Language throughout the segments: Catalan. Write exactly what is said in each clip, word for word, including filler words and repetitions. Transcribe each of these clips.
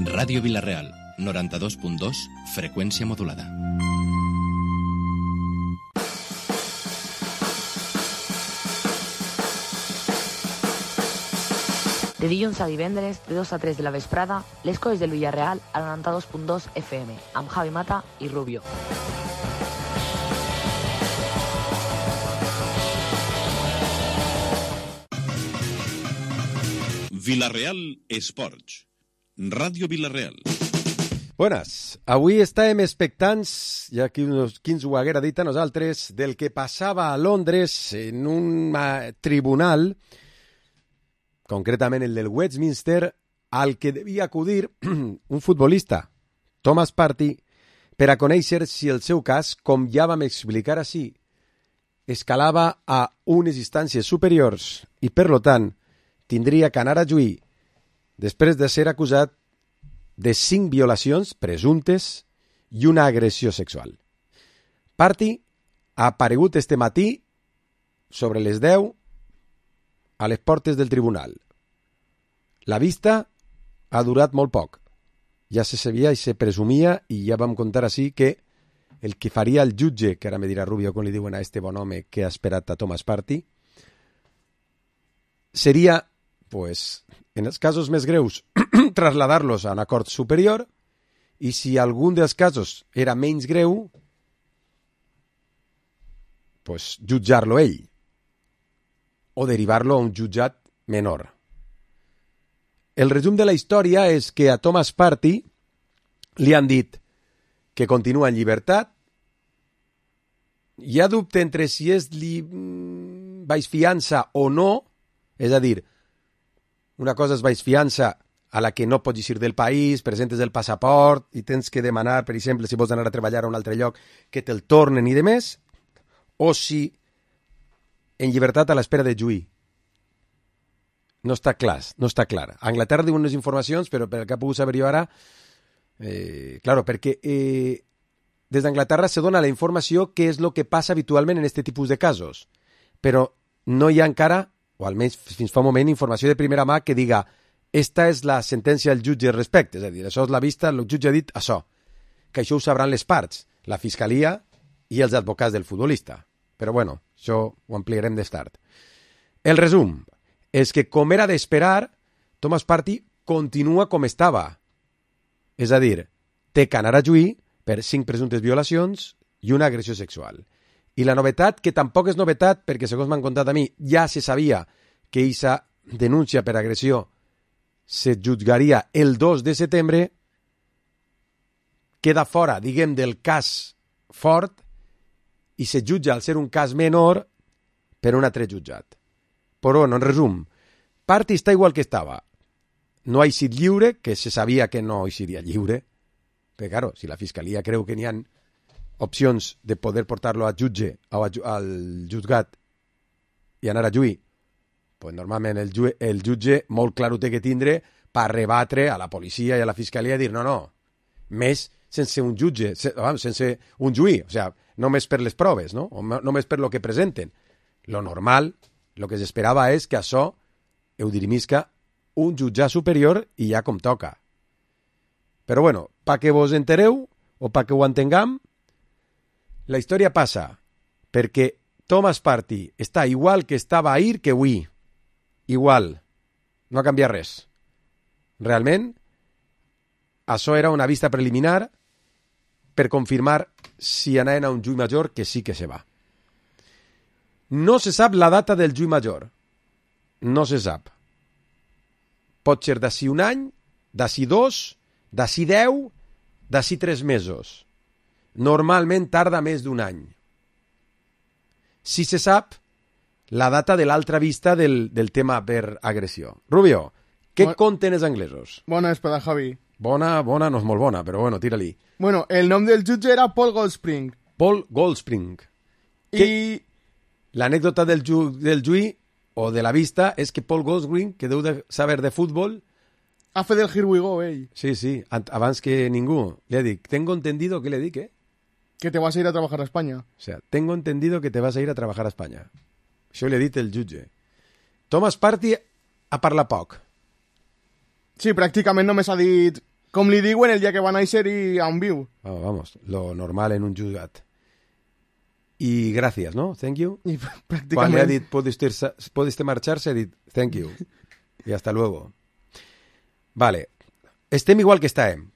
Ràdio Vila-real, noranta-dos punt dos, freqüència modulada. De dilluns a divendres, de dos a tres de la vesprada, les coses del Villarreal a noranta-dos punt dos F M, amb Javi Mata i Rubio. Vila-real Esports. Ràdio Vila-real. Buenas. Avui estàvem expectants, ja que qui ens ho haguera dit a nosaltres, del que passava a Londres en un tribunal, concretament el del Westminster, al que devia acudir un futbolista, Thomas Partey, per a conèixer si el seu cas, com ja vam explicar així, escalava a unes instàncies superiors i, per lo tant, tindria que anar a juir després de ser acusat de cinc violacions presumptes i una agressió sexual. Partey ha aparegut este matí sobre les deu a les portes del tribunal. La vista ha durat molt poc. Ja se sabia i se presumia, i ja vam contar així, que el que faria el jutge, que ara me dirà Rubio com li diuen a este bon home que ha esperat a Thomas Partey, seria, pues, en els casos més greus, trasladar-los a una cort superior, i si algun dels casos era menys greu, pues, jutjar-lo ell, o derivar-lo a un jutjat menor. El resum de la història és que a Thomas Partey li han dit que continua en llibertat. Hi ha dubte entre si és li... baix fiança o no, és a dir, una cosa és baix fiança a la que no pots eixir del país, presentes el passaport i tens que demanar, per exemple, si vols anar a treballar a un altre lloc, que te'l tornen i de més, o si en llibertat a l'espera de juir. No està clar, no està clar. A Anglaterra diuen unes informacions, però per el que ha pogut saber jo ara, eh, claro, perquè eh, des d'Anglaterra se dona la informació que és el que passa habitualment en aquest tipus de casos, però no hi ha encara, o almenys fins fa un moment, informació de primera mà que diga esta és la sentència del jutge respecte, és a dir, això és la vista, el jutge ha dit això, que això ho sabran les parts, la fiscalia i els advocats del futbolista. Però bueno, això ho ampliarem més tard. El resum és que, com era d'esperar, Thomas Partey continua com estava. És a dir, té que anar a juir per cinc presumptes violacions i una agressió sexual. I la novetat, que tampoc és novetat, perquè segons m'han contat a mi, ja se sabia que aquesta denúncia per agressió se jutjaria el dos de setembre, queda fora, diguem, del cas fort i se jutja al ser un cas menor per un altre jutjat. Però, bueno, en resum, Partey està igual que estava. No ha eixit lliure, que se sabia que no eixiria lliure, perquè, claro, si la fiscalia creu que n'hi ha opcions de poder portar-lo a jutge o a, al jutgat i anar a juir, pues normalment el, ju el jutge molt clar ho té que tindre per rebatre a la policia i a la fiscalia i dir no, no, més sense un jutge, sense un juí, o sigui, només per les proves, no? O només per lo que presenten. Lo normal, lo que s'esperava és que això ho dirimisca un jutjat superior i ja com toca. Però bueno, pa que vos entereu o pa que ho entenguem, la història passa perquè Thomas Partey està igual que estava ahir que avui. Igual. No ha canviat res. Realment, això era una vista preliminar per confirmar si anaven a un juí major, que sí que se va. No se sap la data del juí major. No se sap. Pot ser d'ací un any, d'ací dos, d'ací deu, d'ací tres mesos. Normalment tarda més d'un any. Si se sap la data de l'altra vista del, del tema per agressió. Rubio, què bon... conten els anglesos? Bona vesprada, Javi. Bona, bona, no és molt bona, però bueno, tira-li. Bueno, el nom del jutge era Paul Goldspring. Paul Goldspring. I... Que... L'anècdota del, ju... del juí o de la vista és que Paul Goldspring, que deu de saber de futbol... Ha fet el Here We Go, ell. Sí, sí, abans que ningú. Le dic, tengo entendido, ¿qué le dic, eh? Que te vas a ir a trabajar a España. O sea, tengo entendido que te vas a ir a trabajar a España. Això li ha dit el jutge. Thomas Partey ha parlat poc. Sí, pràcticament només ha dit com li diuen el dia que va néixer i on viu. Oh, vamos, lo normal en un jutjat. I gràcies, no? Thank you. I Quan pràcticament... le ha dit puedes irse- puedes marxar-se, ha dit thank you. I hasta luego. Vale. Estem igual que estàvem.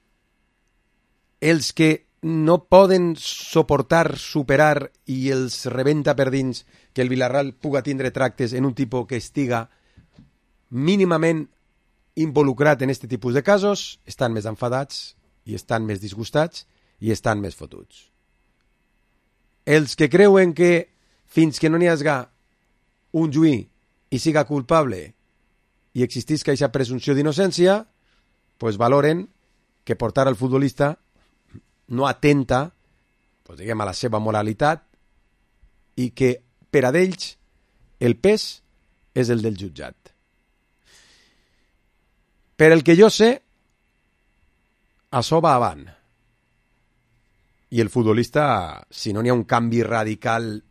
Els que no poden suportar, superar i els rebenta per dins que el Villarreal puga tindre tractes en un tipus que estiga mínimament involucrat en aquest tipus de casos, estan més enfadats i estan més disgustats i estan més fotuts. Els que creuen que fins que no n'hi hagi un juí i siga culpable i existisca aquesta presumpció d'innocència, pues valoren que portar al futbolista no atenta, pues diguem, a la seva moralitat i que per a d'ells el pes és el del jutjat. Per el que jo sé, això va avant. I el futbolista, si no n'hi ha un canvi radical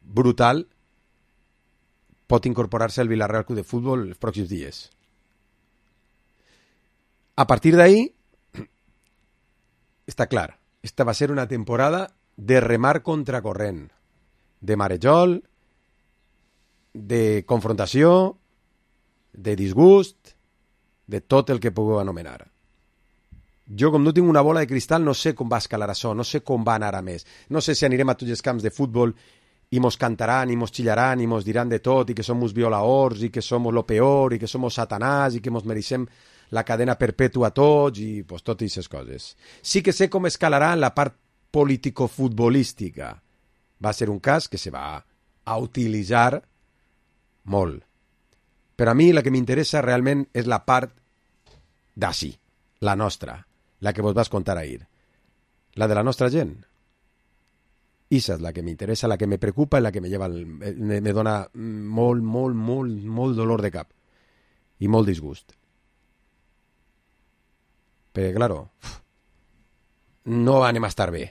brutal, pot incorporar-se al Villarreal Club de Futbol els pròxims dies. A partir d'ahí, està clar, esta va ser una temporada de remar contracorrent, de marejol, de confrontació, de disgust, de tot el que pugueu anomenar. Jo, com no tinc una bola de cristal, no sé com va escalar això, no sé com va anar a més. No sé si anirem a tots els camps de futbol i mos cantaran, i mos xillaran, i mos diran de tot, i que som uns violaors, i que som lo peor, i que som satanàs, i que mos mereixem la cadena perpètua a tots, i pues, totes aquestes coses. Sí que sé com escalarà en la part político-futbolística. Va ser un cas que se va a utilitzar molt. Però a mi la que m'interessa realment és la part d'ací, la nostra, la que vos vas contar ahir. La de la nostra gent. Esa és la que m'interessa, la que me preocupa i la que me, lleva el, me, me dona molt, molt, molt, molt dolor de cap i molt disgust. Perquè, claro, no anem a estar bé.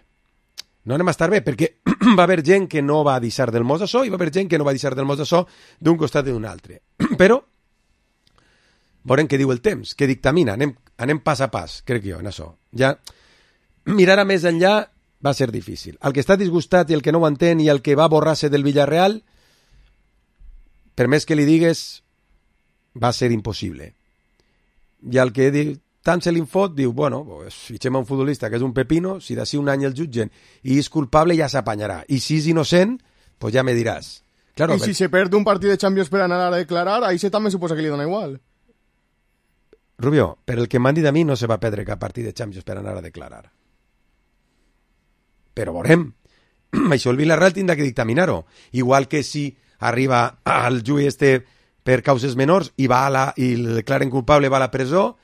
No anem a estar bé, perquè va haver gent que no va deixar del mos això i va haver gent que no va deixar del mos això d'un costat i d'un altre. Però, veurem què diu el temps, què dictamina. Anem, anem pas a pas, crec jo, en això. Ja, mirar a més enllà va ser difícil. El que està disgustat i el que no ho entén i el que va borrar-se del Villarreal, per més que li digues, va ser impossible. I el que diu, tant se l'infot, diu, bueno, pues, fitxem a un futbolista que és un pepino, si d'ací un any el jutgen i és culpable ja s'apanyarà. I si és innocent, pues ja me diràs. Claro, I si per... se perd un partit de Champions per anar a declarar, ahí se també suposa que li dona igual. Rubio, per el que m'han dit a mi no se va perdre cap partit de Champions per anar a declarar. Però veurem. Això el Villarreal tindrà que dictaminar-ho. Igual que si arriba al juí este per causes menors i va a la, i el declaren culpable va a la presó,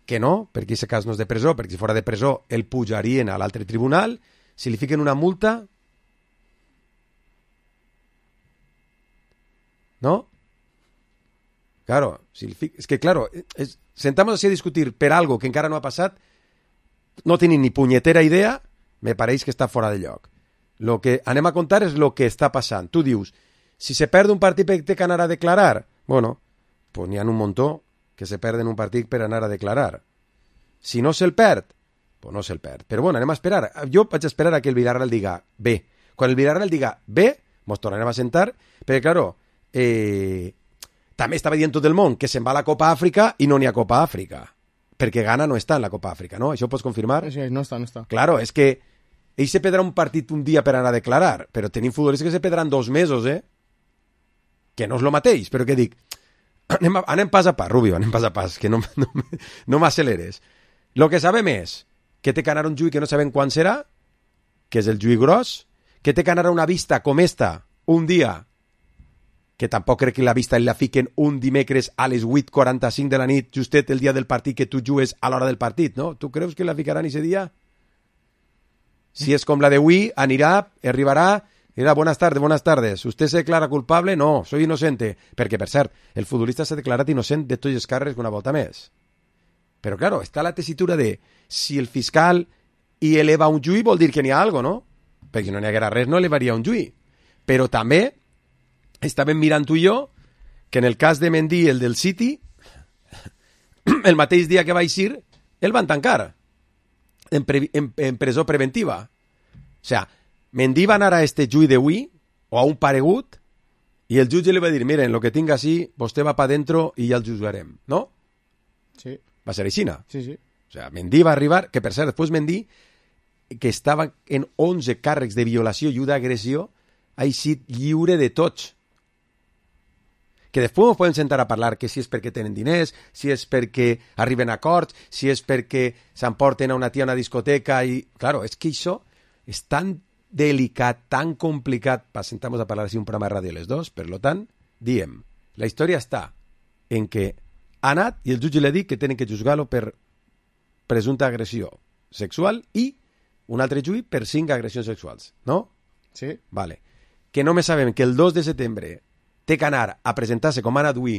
que no, perquè aquest cas no és de presó, perquè si fora de presó el pujarien a l'altre tribunal, si li fiquen una multa, ¿no? Claro, si li fic... és que claro, es... sentamos así a discutir per algo que encara no ha passat, no tenim ni punyetera idea, me pareix que està fora de lloc. Lo que anem a contar és lo que està passant. Tu dius, si se perd un partit per té que anar a declarar, bueno, pues n'hi ha un muntó que se perden un partit per anar a declarar. Si no se'l perd, pues no se'l perd. Però bueno, anem a esperar. Jo vaig esperar a que el Villarreal diga bé. Quan el Villarreal diga bé, mos tornarem a sentar, perquè, claro, eh, també estava dient tot el món que se'n va a la Copa Àfrica i no n'hi ha Copa Àfrica. Perquè Ghana no està en la Copa Àfrica, ¿no? Això ho pots confirmar? Sí, no està, no està. Claro, és que ell se perdrà un partit un dia per anar a declarar, però tenim futbolistes que se perdran dos mesos, eh? Que no és lo mateix, però que dic, anem, a, anem pas a pas, Rubio, anem pas a pas, que no, no, no m'acceleres. Lo que sabem és que té que anar un juí que no sabem quan serà, que és el juí gros, que té que anar a una vista com esta, un dia, que tampoc crec que la vista la fiquen un dimecres a les vuit quaranta-cinc de la nit, justet el dia del partit que tu jugues a l'hora del partit, no? Tu creus que la ficaran ese dia? Si és com la d'avui, anirà, arribarà, dirà, buenas tardes, buenas tardes, ¿usted se declara culpable? No, soy inocente. Perquè, per cert, el futbolista s'ha declarat innocent de tots els càrrecs una volta més. Però, claro, està la tessitura de si el fiscal hi eleva un juí vol dir que n'hi ha algo, no? Perquè si no n'hi haguera res no elevaria un juí. Però també estàvem mirant tu i jo que en el cas de Mendy, el del City, el mateix dia que va eixir, el van tancar en, pre, en, en presó preventiva. O sea, Mendy va anar a este juí d'avui, o a un paregut, i el jutge li va dir, miren, lo que tinc així, vostè va pa dentro i ja el juzgarem, no? Sí. Va ser així, Sí, sí. O sea, Mendy va arribar, que per cert, després Mendy, que estava en onze càrrecs de violació i d'agressió, ha eixit lliure de tots. Que després ens podem sentar a parlar que si és perquè tenen diners, si és perquè arriben a acords, si és perquè s'emporten a una tia a una discoteca i... Claro, és que això és tan delicat, tan complicat, per sentar-nos a parlar així un programa de ràdio les dos, per lo tant, diem, la història està en que ha anat i el jutge li ha dit que tenen que juzgar-lo per presumpta agressió sexual i un altre juí per cinc agressions sexuals, no? Sí. Vale. Que només sabem que el dos de setembre té que anar a presentar-se com ha anat avui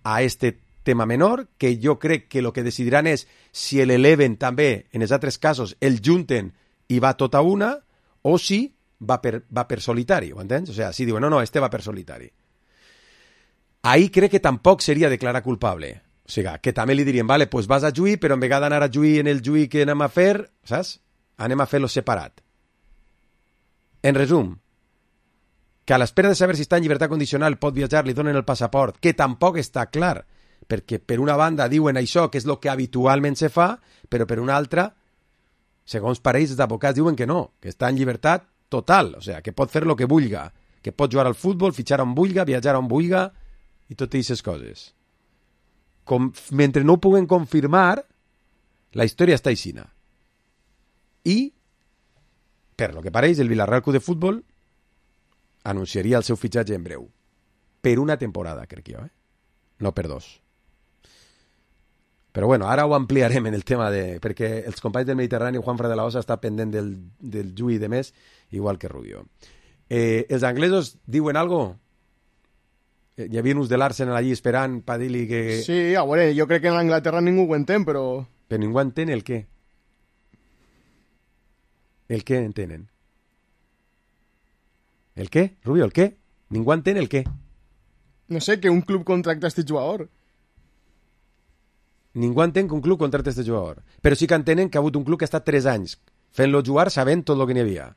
a este tema menor, que jo crec que el que decidiran és si l'eleven també, en els altres casos, el junten i va tota una, o si va per, va per solitari, ho entens? O sigui, si diuen, no, no, este va per solitari. Ahí crec que tampoc seria declarar culpable. O sigui, que també li dirien, vale, pues vas a juí, però en vegada d'anar a juí en el juí que anem a fer, saps? Anem a fer-lo separat. En resum, que a l'espera de saber si està en llibertat condicional pot viatjar, li donen el passaport, que tampoc està clar, perquè per una banda diuen això, que és el que habitualment se fa, però per una altra, segons parells d'advocats diuen que no, que està en llibertat total, o sigui, que pot fer el que vulga, que pot jugar al futbol, fitxar on vulga, viatjar on vulga, i totes aquestes coses. Com, mentre no ho puguen confirmar, la història està aixina. I, per lo que pareix, el Villarreal Club de Futbol anunciaria el seu fitxatge en breu. Per una temporada, crec jo, eh? No per dos. Però bueno, ara ho ampliarem en el tema de... perquè els companys del Mediterrani, Juanfra de la Osa, està pendent del, del juí de més, igual que Rubio. Eh, els anglesos diuen algo? Eh, hi havia uns de l'Arsenal allí esperant per dir-li que... Sí, a veure, jo crec que en Anglaterra ningú ho entén, però... Però ningú entén el què? El què entenen? El què, Rubio, el què? Ningú entén el què? No sé, que un club contracta este jugador. Ningú entén que un club contracta este jugador. Però sí que entenen que ha hagut un club que ha estat tres anys fent-lo jugar sabent tot el que n'hi havia.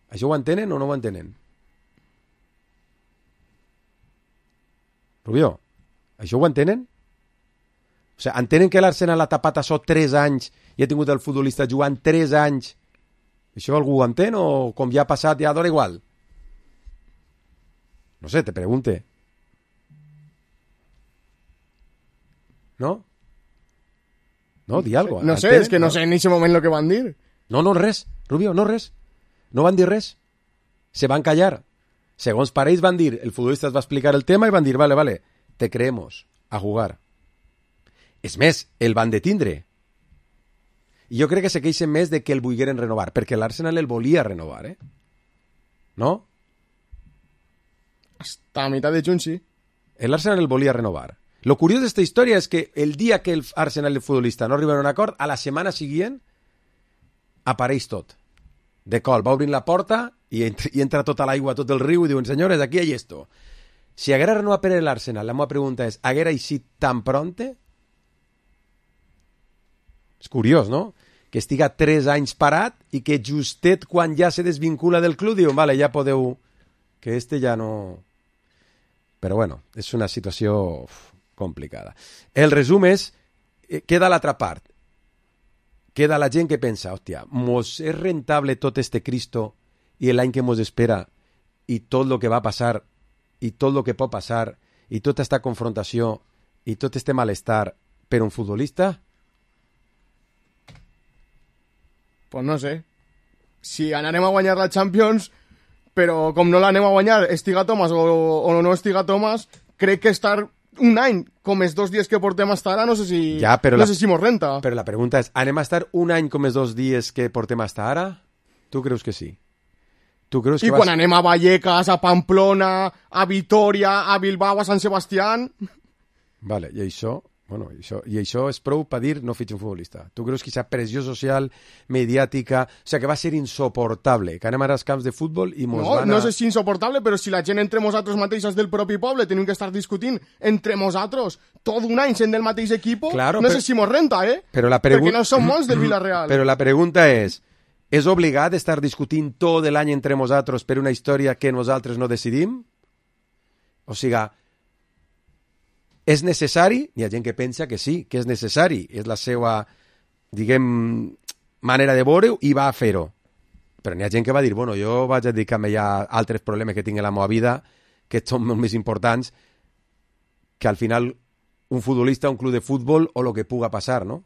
Això ho entenen o no ho entenen? Rubio, això ho entenen? O sigui, entenen que l'Arsenal ha tapat això tres anys i ha tingut el futbolista jugant tres anys? Això algú ho entén o com ja ha passat ja dona igual? No sé, te pregunte. ¿No? No, di algo. No sé, és que no sé en aquest moment el que van dir. No, no, res, Rubio, no res. No van dir res. Se van callar. Segons parells van dir, el futbolista es va explicar el tema i van dir, vale, vale, te creemos, a jugar. És més, el van detindre. I jo crec que se queixen més de que el volgueren renovar, perquè l'Arsenal el volia renovar, eh? No? Hasta a mitad de juny, sí. L'Arsenal el volia renovar. Lo curiós d'esta història és que el dia que el Arsenal i el futbolista no arriben a un acord, a la setmana següent apareix tot. De col, va obrint la porta i entra, i entra tota l'aigua, tot el riu, i diuen, senyores, aquí hay esto. Si haguera renovat per l'Arsenal, la meva pregunta és, haguera eixit tan pronte? És curiós, no? Que estiga tres anys parat i que justet quan ja se desvincula del club diuen, vale, ja podeu... que este ja no... Però bueno, és una situació uf, complicada. El resum és, queda l'altra part. Queda la gent que pensa, hòstia, mos és rentable tot este Cristo i l'any que mos espera i tot el que va passar i tot el que pot passar i tota esta confrontació i tot este malestar per un futbolista? Pues no sé. Si anarem a guanyar la Champions, però com no l'anem a guanyar estiga Thomas o, o no estiga Thomas, crec que estar un any com els dos dies que portem hasta ara, no sé si, ja, no la, sé si mos renta. Però la pregunta és, anem a estar un any com els dos dies que portem hasta ara? Tu creus que sí? Tu creus que I vas... quan anem a Vallecas, a Pamplona, a Vitoria, a Bilbao, a Sant Sebastián... Vale, i això Bueno, i això, i això és prou per dir no fitxa un futbolista. Tu creus que aquesta pressió social, mediàtica... O sigui, que va ser insoportable, que anem ara als camps de futbol i mos no, van a... No sé si insoportable, però si la gent entre nosaltres mateixos del propi poble tenim que estar discutint entre nosaltres tot un any sent del mateix equip, claro, no però... sé si mos renta, eh? Però la pregun... Perquè no som molts del Villarreal. Però la pregunta és, és obligat estar discutint tot l'any entre nosaltres per una història que nosaltres no decidim? O sigui... És necessari? Hi ha gent que pensa que sí, que és necessari. És la seva, diguem, manera de veure-ho i va a fer-ho. Però n'hi ha gent que va dir, bueno, jo vaig a dedicar-me ja a altres problemes que tinc en la meva vida, que són molt més importants, que al final un futbolista, un club de futbol o el que puga passar, no?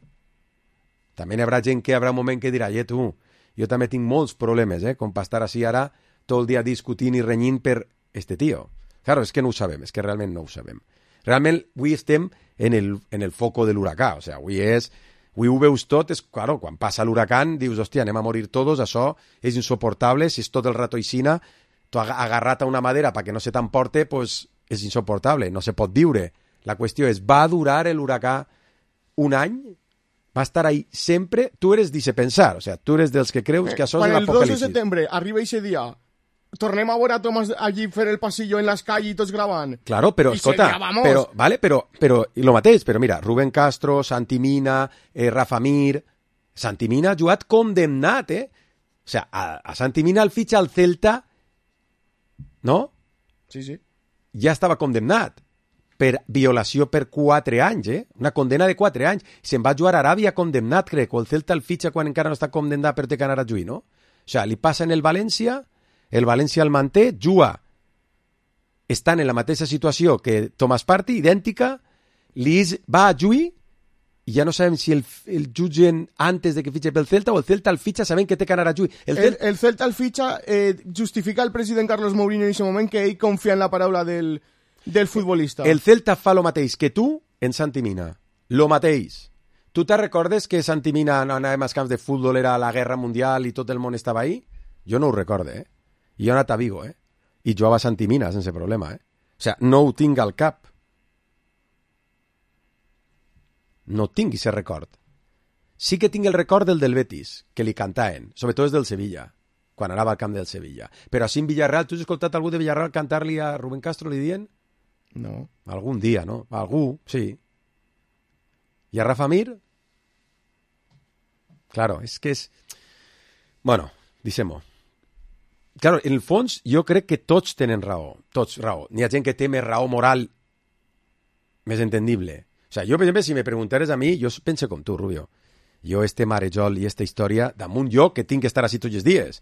També hi haurà gent que hi haurà un moment que dirà, eh, tu, jo també tinc molts problemes, eh, com per estar així ara tot el dia discutint i renyint per este tio. Claro, és que no ho sabem, és que realment no ho sabem. Realment, avui estem en el, en el foco de l'huracà, o sigui, avui és... Avui ho veus tot, és, claro, quan passa l'huracán, dius, hòstia, anem a morir tots, això és insoportable, si és tot el rato aixina, tu agarrat a una madera perquè no se t'emporte, pues és insoportable, no se pot viure. La qüestió és, va durar l'huracà un any? Va estar ahí sempre? Tu eres dice pensar, o sigui, tu eres dels que creus que això Quan és l'apocalipsis. el dos de setembre arriba aquest dia, tornem a veure a Tomàs allí fer el passillo en l'escall i tots gravant. Claro, però, I escolta, seria, vamos. però, vale, però, però, i lo mateix, però mira, Rubén Castro, Santi Mina, eh, Rafa Mir... Santi Mina ha jugat condemnat, eh? O sigui, a, a Santi Mina el fitxa al Celta, no? Sí, sí. Ja estava condemnat per violació per quatre anys, eh? Una condena de quatre anys. Se'n va jugar a Aràbia condemnat, crec, o el Celta el fitxa quan encara no està condemnat per té que anar a juir, no? O sigui, li passa en el València... El València el manté, juga, estan en la mateixa situació que Tomàs Partey, idèntica, Lis va a juir i ja no sabem si el, el jutgen antes de que fitxe pel Celta o el Celta el fitxa sabent que té que anar a juir. El, el, el Celta el fitxa eh, justifica el president Carlos Mourinho en aquest moment que ell confia en la paraula del, del futbolista. El Celta fa lo mateix que tu en Santi Mina. Lo mateix. Tu te recordes que Santi Mina no anàvem als camps de futbol, era la guerra mundial i tot el món estava ahí? Jo no ho recorde, eh? I jo he anat a Vigo, eh? I jugava a Santi Mina sense problema, eh? O sigui, no ho tinc al cap. No tinc aquest record. Sí que tinc el record del del Betis, que li cantaven, sobretot és del Sevilla, quan anava al camp del Sevilla. Però així en Villarreal, tu has escoltat algú de Villarreal cantar-li a Rubén Castro, li dient? No. Algun dia, no? Algú, sí. I a Rafa Mir? Claro, és que és... Bueno, deixem-ho. Claro, en el fons, jo crec que tots tenen raó. Tots raó. N'hi ha gent que té més raó moral més entendible. O sigui, jo, per exemple, si me preguntares a mi, jo penso com tu, Rubio. Jo, este marejol i esta història, damunt jo, que tinc que estar així tots els dies.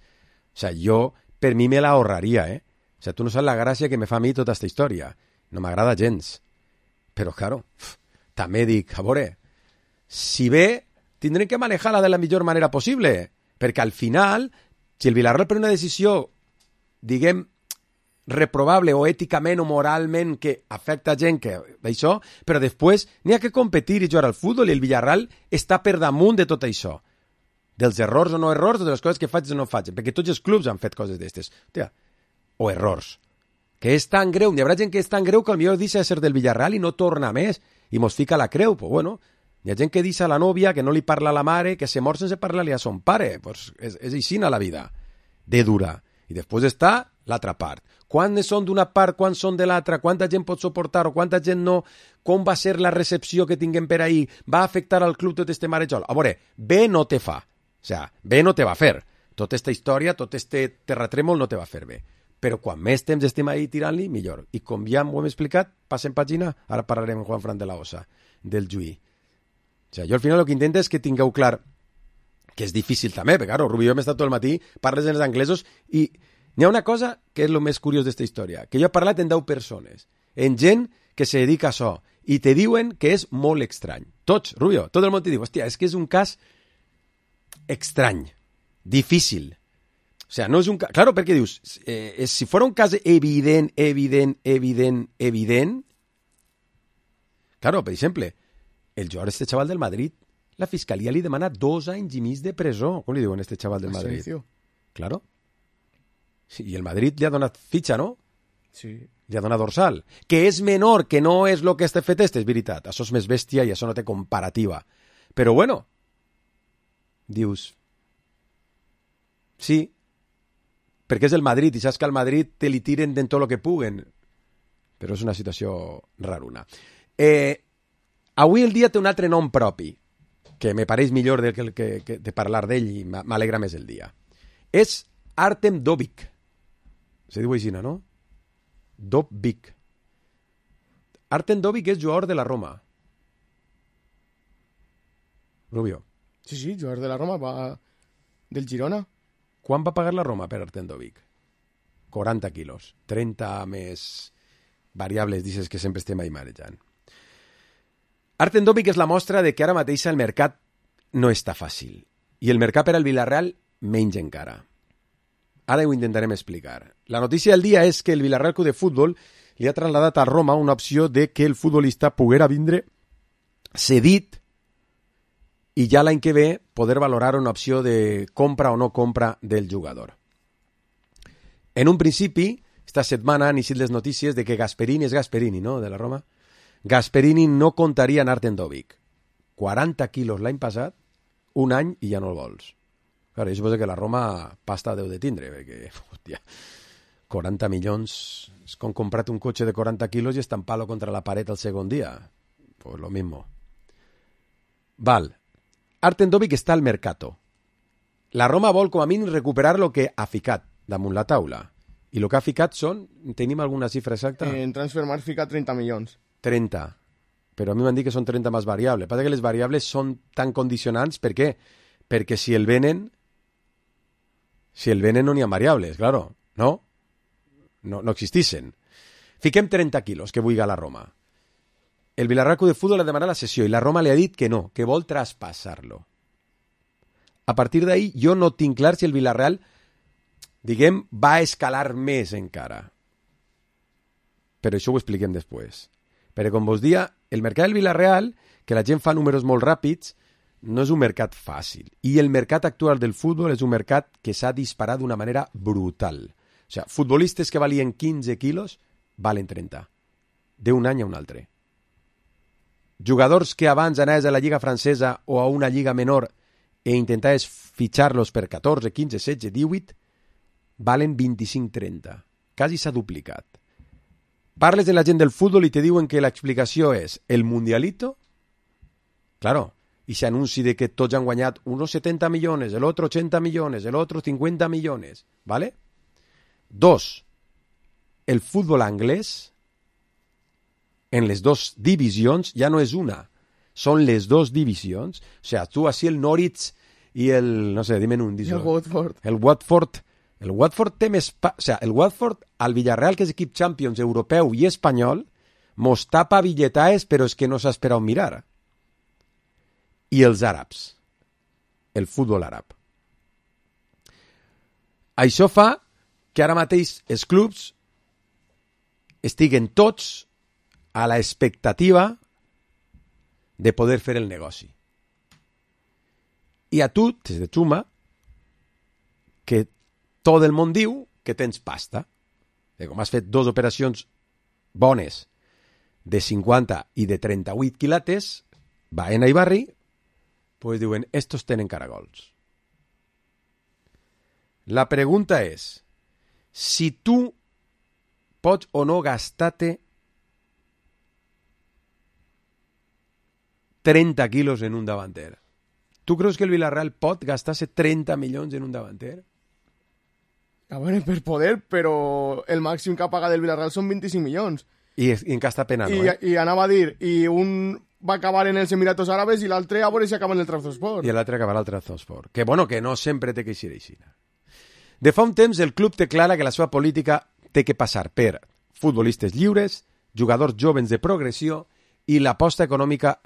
O sigui, jo, per mi me la ahorraria, eh? O sigui, tu no saps la gràcia que me fa a mi tota aquesta història. No m'agrada gens. Però, claro, també dic, a veure, si bé, tindrem que manejar-la de la millor manera possible, perquè al final... Si el Villarreal pren una decisió, diguem, reprobable o èticament o moralment que afecta gent que això, però després n'hi ha que competir i jugar al futbol i el Villarreal està per damunt de tot això. Dels errors o no errors, de les coses que faig o no faig, perquè tots els clubs han fet coses d'estes. O errors. Que és tan greu, n'hi haurà gent que és tan greu que potser deixa de ser del Villarreal i no torna més i mos fica la creu, pues bueno... Hi ha gent que deixa a la nòvia, que no li parla a la mare, que se mor sense parlar-li a son pare. Pues és, és així a la vida, de dura. I després està l'altra part. Quants són d'una part, quants són de l'altra, quanta gent pot suportar o quanta gent no, com va ser la recepció que tinguem per ahir, va afectar al club tot este marejol. A veure, bé no te fa. O sigui, bé no te va fer. Tota esta història, tot este terratrèmol no te va fer bé. Però quan més temps estem ahí tirant-li, millor. I com ja ho hem explicat, passem pàgina, ara parlarem amb Juan Fran de la Osa, del Juí. O sigui, jo al final el que intento és que tingueu clar que és difícil també, perquè claro, Rubio hem estat tot el matí, parles en els anglesos i n'hi ha una cosa que és el més curiós d'esta història, que jo he parlat en deu persones, en gent que se dedica a això, i te diuen que és molt estrany. Tots, Rubio, tot el món te diu, hòstia, és que és un cas estrany, difícil. O sigui, no és un cas... Claro, perquè dius, eh, si fos un cas evident, evident, evident, evident... Claro, per exemple... El jugador este chaval del Madrid, la fiscalía li demana dos anys i mig de presó. Com li diuen este chaval del Madrid? Asensio. Claro. Sí, i el Madrid li ha donat fitxa, no? Sí. Li ha donat dorsal. Que és menor, que no és el que està fet este, és veritat. Això és més bèstia i això no té comparativa. Però bueno, dius, sí, perquè és el Madrid i saps que al Madrid te li tiren de tot el que puguen. Però és una situació raruna. Eh, avui el dia té un altre nom propi, que me pareix millor de, que, que, que, de parlar d'ell i m'alegra més el dia. És Artem Dovbyk. Se diu així, no? Dovbyk. Artem Dovbyk és jugador de la Roma. Rubio. Sí, sí, jugador de la Roma, va del Girona. Quan va pagar la Roma per Artem Dovbyk? quaranta quilos. trenta més variables, dices que sempre estem ahí marejant. Artem Dovbyk és la mostra de que ara mateix el mercat no està fàcil. I el mercat per al Villarreal menys encara. Ara ho intentarem explicar. La notícia del dia és que el Villarreal Club de Futbol li ha trasladat a Roma una opció de que el futbolista poguera vindre cedit i ja l'any que ve poder valorar una opció de compra o no compra del jugador. En un principi, esta setmana han eixit les notícies de que Gasperini és Gasperini, no?, de la Roma. Gasperini no contaria en Artem Dovbyk. quaranta quilos l'any passat, un any i ja no el vols. Claro, jo suposo que la Roma pasta deu de tindre, perquè, hòstia, quaranta milions, és com comprar un cotxe de quaranta quilos i estampar-lo contra la paret el segon dia. Pues lo mismo. Val. Artem Dovbyk està al mercato. La Roma vol com a mínim recuperar lo que ha ficat damunt la taula. I el que ha ficat són, tenim alguna xifra exacta? En Transfermarkt fica trenta milions. trenta. Però a mi m'han dit que són trenta més variables. Passa que les variables són tan condicionants, per què? Perquè si el venen, si el venen no n'hi ha variables, claro, no? No, no existissin. Fiquem trenta quilos, que vulgui la Roma. El Villarreal Club de Futbol ha demanat la cessió i la Roma li ha dit que no, que vol traspassar-lo. A partir d'ahí, jo no tinc clar si el Villarreal, diguem, va escalar més encara. Però això ho expliquem després. Perquè, com vos dia, el mercat del Villarreal, que la gent fa números molt ràpids, no és un mercat fàcil. I el mercat actual del futbol és un mercat que s'ha disparat d'una manera brutal. O sigui, futbolistes que valien quinze quilos valen trenta. D'un any a un altre. Jugadors que abans anaves a la lliga francesa o a una lliga menor e intentaves fitxar-los per catorze, quinze, setze, divuit, valen vint-i-cinc trenta. Quasi s'ha duplicat. Parles de la gent del futbol i te diuen que l'explicació és el mundialito, claro, i s'anunci de que tots han guanyat unos setenta milions, el otro ochenta milions, el otro cincuenta milions, ¿vale? Dos, el futbol anglès, en les dos divisions, ja no és una, són les dos divisions. O sea, tu així el Norwich i el, no sé, dime un, I el Watford. El Watford, el Watford té més... Pa... O sea, el Watford, al Villarreal, que és equip Champions europeu i espanyol, mos tapa billetaes, però és que no s'ha esperat mirar. I els àrabs, el futbol àrab. Això fa que ara mateix els clubs estiguen tots a la expectativa de poder fer el negoci. I a tu te de suma que tot el món diu que tens pasta. I com has fet dues operacions bones de cinquanta i de trenta-vuit quilates, Baena i Barri, pues diuen, estos tenen caragols. La pregunta és, si tu pots o no gastar-te trenta quilos en un davanter. Tu creus que el Villarreal pot gastar-se trenta milions en un davanter? A veure, per poder, però el màxim que ha pagat el Villarreal són vint-i-cinc milions. I, i en casta pena, no, I, eh? I anava a dir, i un va acabar en els Emiratos Àrabes i l'altre a veure si acaba en el Trabzonspor. I l'altre acabarà al Trabzonspor. Que bueno, que no sempre té que eixir així. De fa un temps el club té clara que la seva política té que passar per futbolistes lliures, jugadors jovens de progressió i l'aposta econòmica,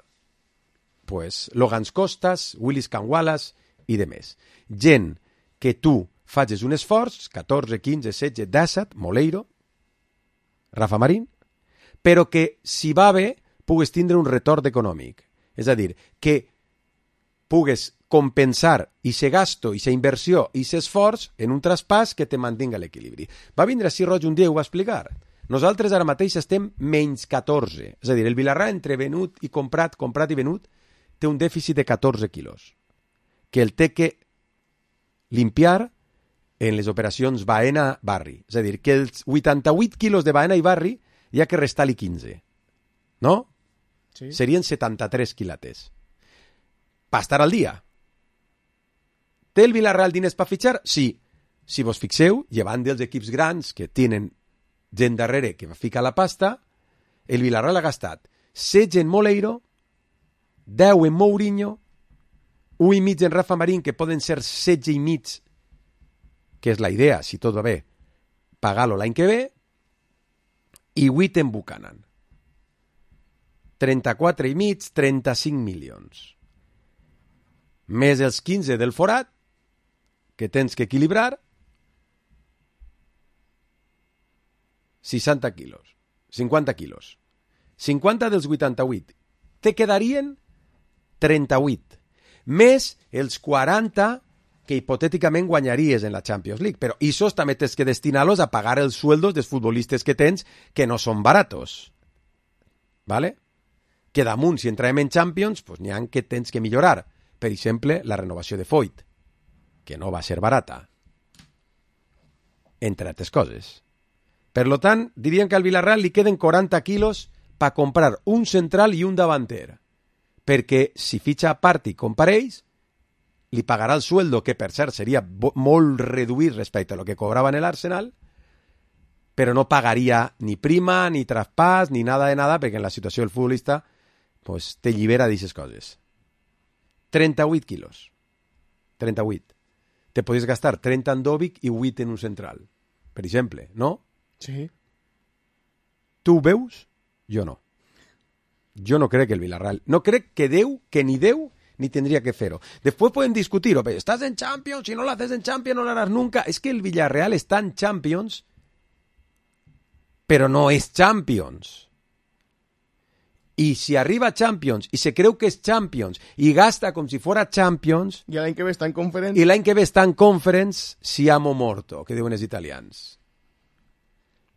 pues, Logans Costas, Willis Canwalas i de més. Gent que tu facis un esforç, catorze, quinze, setze, disset, Moleiro, Rafa Marín, però que si va bé pugues tindre un retorn econòmic. És a dir, que pugues compensar ese gasto, esa inversió, ese esforç en un traspàs que te mantinga l'equilibri. Va vindre així Roig un dia i ho va explicar. Nosaltres ara mateix estem menys catorze. És a dir, el Villarreal entre venut i comprat, comprat i venut, té un dèficit de catorze quilos, que el té que limpiar en les operacions Baena-Barri. És a dir, que els vuitanta-vuit quilos de Baena i Barri hi ha que restar-li quinze. No? Sí. Serien setanta-tres quilates. Per estar al dia. Té el Villarreal diners per fitxar? Sí. Si vos fixeu, llevant dels equips grans que tenen gent darrere que va ficar la pasta, el Villarreal ha gastat setze en Moleiro, deu en Mourinho, un i mig en Rafa Marín, que poden ser setze i mig, que és la idea, si tot va bé, pagar-lo l'any que ve, i vuit en Buchanan. trenta-quatre i mig, trenta-cinc milions. Més els quinze del forat, que tens que equilibrar, seixanta quilos, cinquanta quilos. cinquanta dels vuitanta-vuit. Te quedarien trenta-vuit. Més els quaranta que hipotèticament guanyaries en la Champions League. Però isos també tens que destinar-los a pagar els sueldos dels futbolistes que tens, que no són baratos. ¿Vale? Que damunt, si entrem en Champions, pues n'hi ha que tens que millorar. Per exemple, la renovació de Foyt, que no va ser barata. Entre altres coses. Per lo tant, dirien que al Villarreal li queden quaranta quilos per comprar un central i un davanter. Perquè si fitxa a part i compareix, li pagarà el sueldo, que per cert seria molt reduït respecte a lo que cobrava en l'Arsenal, però no pagaria ni prima, ni traspàs, ni nada de nada, perquè en la situació del futbolista pues, te llibera d'aquestes coses. trenta-vuit quilos. trenta-vuit. Te podries gastar trenta en Dobic i vuit en un central. Per exemple, no? Sí. Tu ho veus? Jo no. Jo no crec que el Villarreal... No crec que Déu, que ni Déu, ni tendría que fer-ho. Després podem discutir-ho. Estàs en Champions, si no l'haces en Champions no l'haràs nunca. És que el Villarreal està en Champions, però no és Champions. I si arriba a Champions i se creu que és Champions i gasta com si fora Champions... I l'any que ve està en Conference... I l'any que ve està en Conference, siamo morto, que diuen els italians.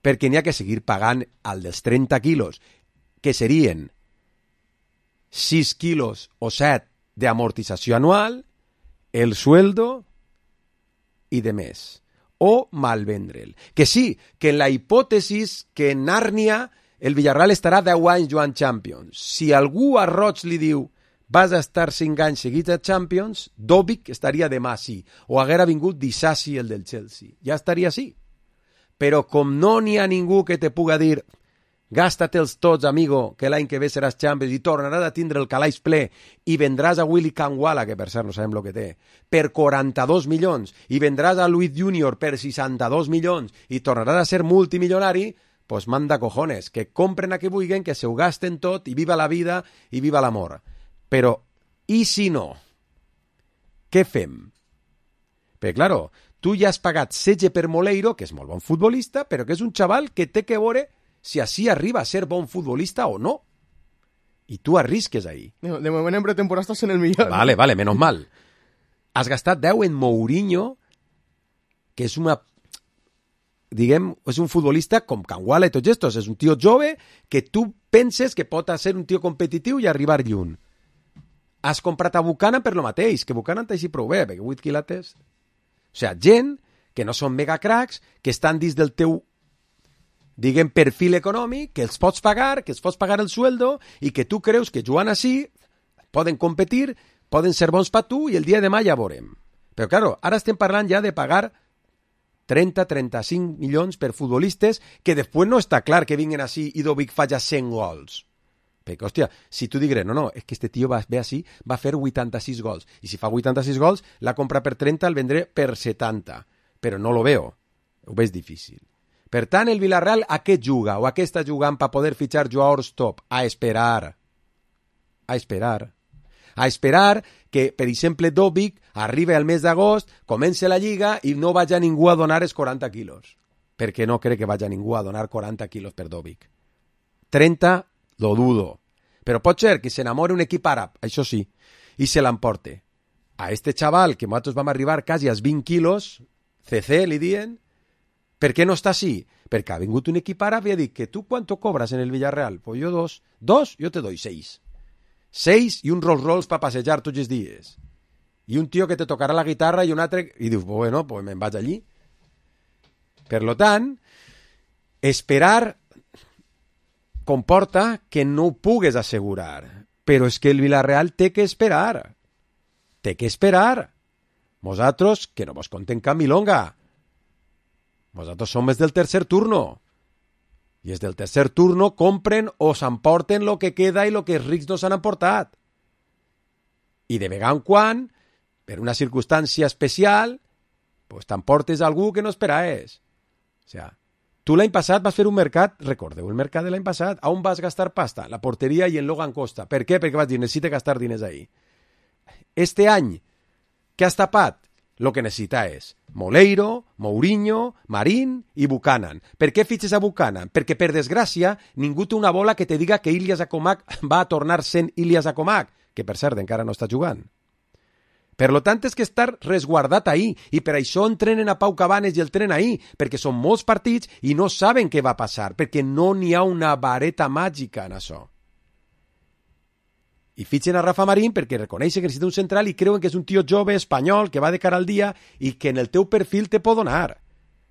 Perquè n'hi ha que seguir pagant al dels trenta quilos, que serien sis quilos o set d'amortització anual, el sueldo i de més. O malvendre'l. Que sí, que en la hipòtesis que en Nàrnia el Villarreal estarà deu anys jugant Champions. Si algú a Roig li diu vas a estar cinc anys seguits a Champions, Dobic estaria demà sí. O haguera vingut Disasi, el del Chelsea. Ja estaria sí. Però com no n'hi ha ningú que te puga dir gasta-te'ls tots, amigo, que l'any que ve seràs Champions i tornaràs a tindre el calaix ple i vendràs a Willy Kangwala, que per cert no sabem el que té, per quaranta-dos milions i vendràs a Luis Junior per seixanta-dos milions i tornaràs a ser multimilionari, pues manda cojones, que compren a qui vulguin, que se ho gasten tot i viva la vida i viva l'amor. Però, i si no? Què fem? Perquè, claro, tu ja has pagat setze per Moleiro, que és molt bon futbolista, però que és un xaval que té que veure si així arriba a ser bon futbolista o no. I tu arrisques ahí. De moment en pretemporada estàs en el millor. Vale, vale, menos mal. Has gastat deu en Mourinho, que és una... diguem, és un futbolista com Kangwala i tots estos. És un tio jove que tu penses que pot ser un tio competitiu i arribar lluny. Has comprat a Buchanan per lo mateix, que Buchanan t'així prou bé, perquè vuit quilates... O sigui, gent que no són megacracs, que estan dins del teu, diguem, perfil econòmic, que els pots pagar, que els pots pagar el sueldo i que tu creus que jugant així poden competir, poden ser bons per tu i el dia de demà ja veurem. Però, claro, ara estem parlant ja de pagar trenta a trenta-cinc milions per futbolistes que després no està clar que vinguin així i Dobic faci cent gols. Perquè, hòstia, si tu digues, no, no, és que este tio va, ve així, va fer vuitanta-sis gols. I si fa vuitanta-sis gols, la compra per trenta, el vendré per setanta. Però no lo veo. Ho veig difícil. Per tant, el Villarreal a què juga? O a què està jugant per poder fitxar jugadors top? A esperar. A esperar. A esperar que, per exemple, Dobic arribi al mes d'agost, comence la lliga i no vagi ningú a donar els quaranta quilos. Perquè no crec que vagi ningú a donar quaranta quilos per Dobic. trenta lo dudo. Però pot ser que s'enamori un equip àrab, això sí, i se l'emporte. A este xaval, que nosaltres vam arribar quasi als vint quilos, C C li dien, Per què no està així? Perquè ha vingut un equip àrab i ha dit que tu quanto cobras en el Villarreal? Pues yo dos. ¿Dos? Yo te doy seis. Seis i un Rolls Royce para passejar tots els dies. I un tio que te tocarà la guitarra i un altre... I dius, bueno, pues me'n vaig allí. Per lo tant, esperar comporta que no ho pugues assegurar. Però és que el Villarreal té que esperar. Té que esperar. Vosaltres, que no vos contem cap milonga. Vosaltres som els del tercer turno. I els del tercer turno compren o s'emporten lo que queda i lo que els rics no s'han emportat. I de vegada en quan, per una circumstància especial, pues t'emportes algú que no esperaves. O sea, tu l'any passat vas fer un mercat, recordeu el mercat de l'any passat, on vas gastar pasta? La porteria i en Logan Costa. Per què? Perquè vas dir, necessita gastar diners ahí. Este any, què has tapat? Lo que necessita és Moleiro, Mourinho, Marín i Buchanan. Per què fitxes a Buchanan? Perquè, per desgràcia, ningú té una bola que te diga que Ilias Akomak va a tornar sent Ilias Akomak, que per cert encara no està jugant. Per lo tant, és que estar resguardat ahí, i per això entrenen a Pau Cabanes i el tren ahí, perquè són molts partits i no saben què va passar, perquè no n'hi ha una vareta màgica en això. I fitxen a Rafa Marín perquè reconeixen que necessita un central i creuen que és un tio jove espanyol que va de cara al dia i que en el teu perfil te pot donar.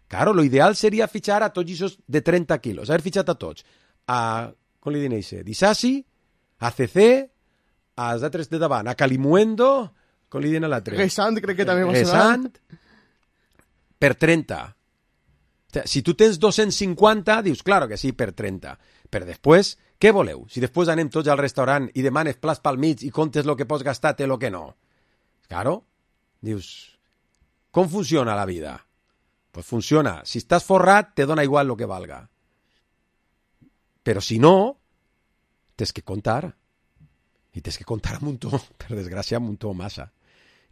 Claro, lo ideal seria fitxar a tots aquests de trenta quilos, haver fitxat a tots. A, com li diuen això? Disasi, a C C, als altres de davant, a Calimuendo, com li diuen a l'altre? Gesant, crec que també va ser. Gesant, per trenta. O sea, si tu tens dos-cents cinquanta, dius, claro que sí, per trenta. Però després, què voleu? Si després anem tots al restaurant i demanes plats pel mig i comptes el que pots gastar i el que no. Claro, dius, com funciona la vida? Pues funciona. Si estàs forrat, te dona igual lo que valga. Però si no, tens que comptar. I tens que comptar un muntó, per desgràcia, un muntó massa.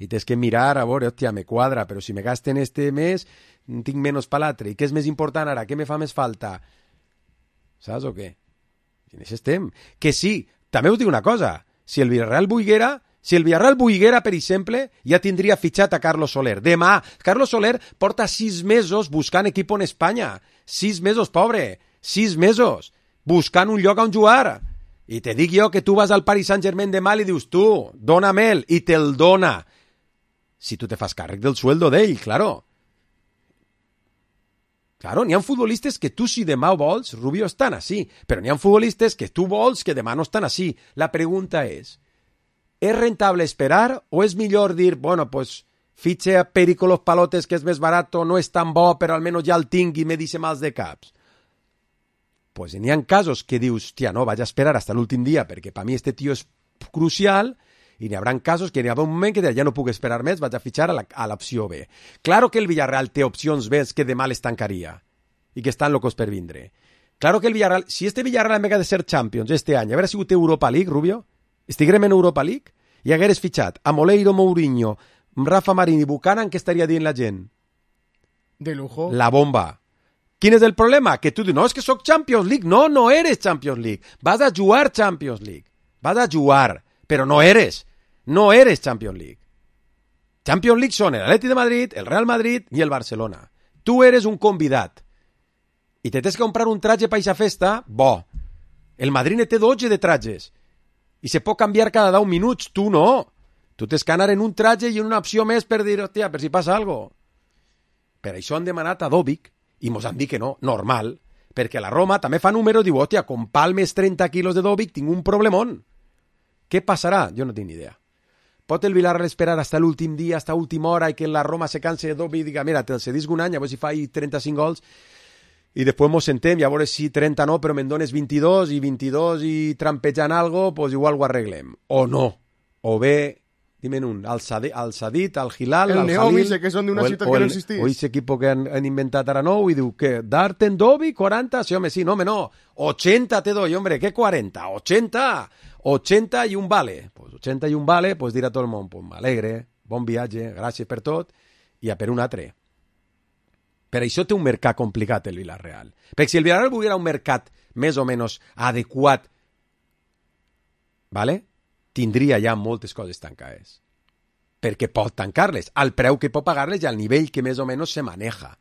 I tens que mirar, a veure, hòstia, me quadra, però si me gasten este mes, tinc menys per l'altre. I què és més important ara? Què me fa més falta? Saps o què? I en això estem. Que sí, també us dic una cosa, si el Villarreal volguera, si el Villarreal volguera, per exemple, ja tindria fitxat a Carlos Soler. Demà, Carlos Soler porta sis mesos buscant equip en Espanya. Sis mesos, pobre. Sis mesos. Buscant un lloc on jugar. I te dic jo que tu vas al Paris Saint-Germain demà i dius, tu, dóna'm-el, i te'l dona. Si tu te fas càrrec del sueldo d'ell, claro. Claro, n'hi ha futbolistes que tu si demà vols, Rubio, estan així, però n'hi ha futbolistes que tu vols que demà no estan així. La pregunta és, és rentable esperar o és millor dir, bueno, pues fitxe a Perico Los Palotes que és més barat, no és tan bo, però almenys ja el tinc i me dice mals de caps? Pues n'hi ha casos que dius, tia, no, vaig a esperar hasta l'últim dia perquè per mi este tio és crucial. I n'hi haurà casos que n'hi ha un moment que ja no puc esperar més, vaig a fitxar a l'opció B. Claro que el Villarreal té opcions B que demà les tancaria i que estan locos per vindre. Claro que el Villarreal, si este Villarreal en vez de ser Champions este any haguera sigut Europa League, Rubio, estiguem en Europa League i hagueres fitxat a Moleiro, Mourinho, Rafa Marín i Buchanan, què estaria dient la gent? De lujo. La bomba. Quin és el problema? Que tu dius, no, és que soc Champions League. No, no eres Champions League. Vas a jugar Champions League. Vas a jugar, però no eres. No eres Champions League. Champions League són el Atleti de Madrid, el Real Madrid i el Barcelona. Tu eres un convidat. I te tens que comprar un traje per aquesta festa, bo. El Madrid ne té dotze de trajes. I se pot canviar cada deu minuts. Tu no. Tu tens que anar en un traje i en una opció més per dir, hòstia, per si passa alguna cosa. Per això han demanat a Dobic i mos han dit que no, normal, perquè la Roma també fa número i diu, hòstia, con palmes trenta quilos de Dobic tinc un problemón. Què passarà? Jo no tinc ni idea. Pot el Villarreal esperar hasta l'últim dia, hasta última hora, i que la Roma se canse de Dobic i diga, mira, te'l cedisc un any, a veure si fa trenta-cinc gols, i després mos sentem, i a veure si trenta no, però me'n dones vint-i-dos, i vint-i-dos i trampejant algo, pues igual ho arreglem. O no. O bé, dimen un, al Sadit, al, Sadit, al Hilal, el al Neomi, Jalil, que són d'una ciutat o que el, no existís. o aquest equip que han, han inventat ara nou i diu que Darten Dobic, quaranta, sí, home, sí, no, home, no, ochenta te doy, hombre, ¿qué quaranta? ochenta, ochenta i un vale. Pues ochenta i un vale, pues dirà tot el món, pues m'alegre, bon viatge, gràcies per tot, i a per un altre. Per això té un mercat complicat el Villarreal. Perquè si el Villarreal volguera un mercat més o menys adequat, ¿vale? Tindria ja moltes coses tancades. Perquè pot tancar-les, al preu que pot pagar-les i al nivell que més o menys se maneja.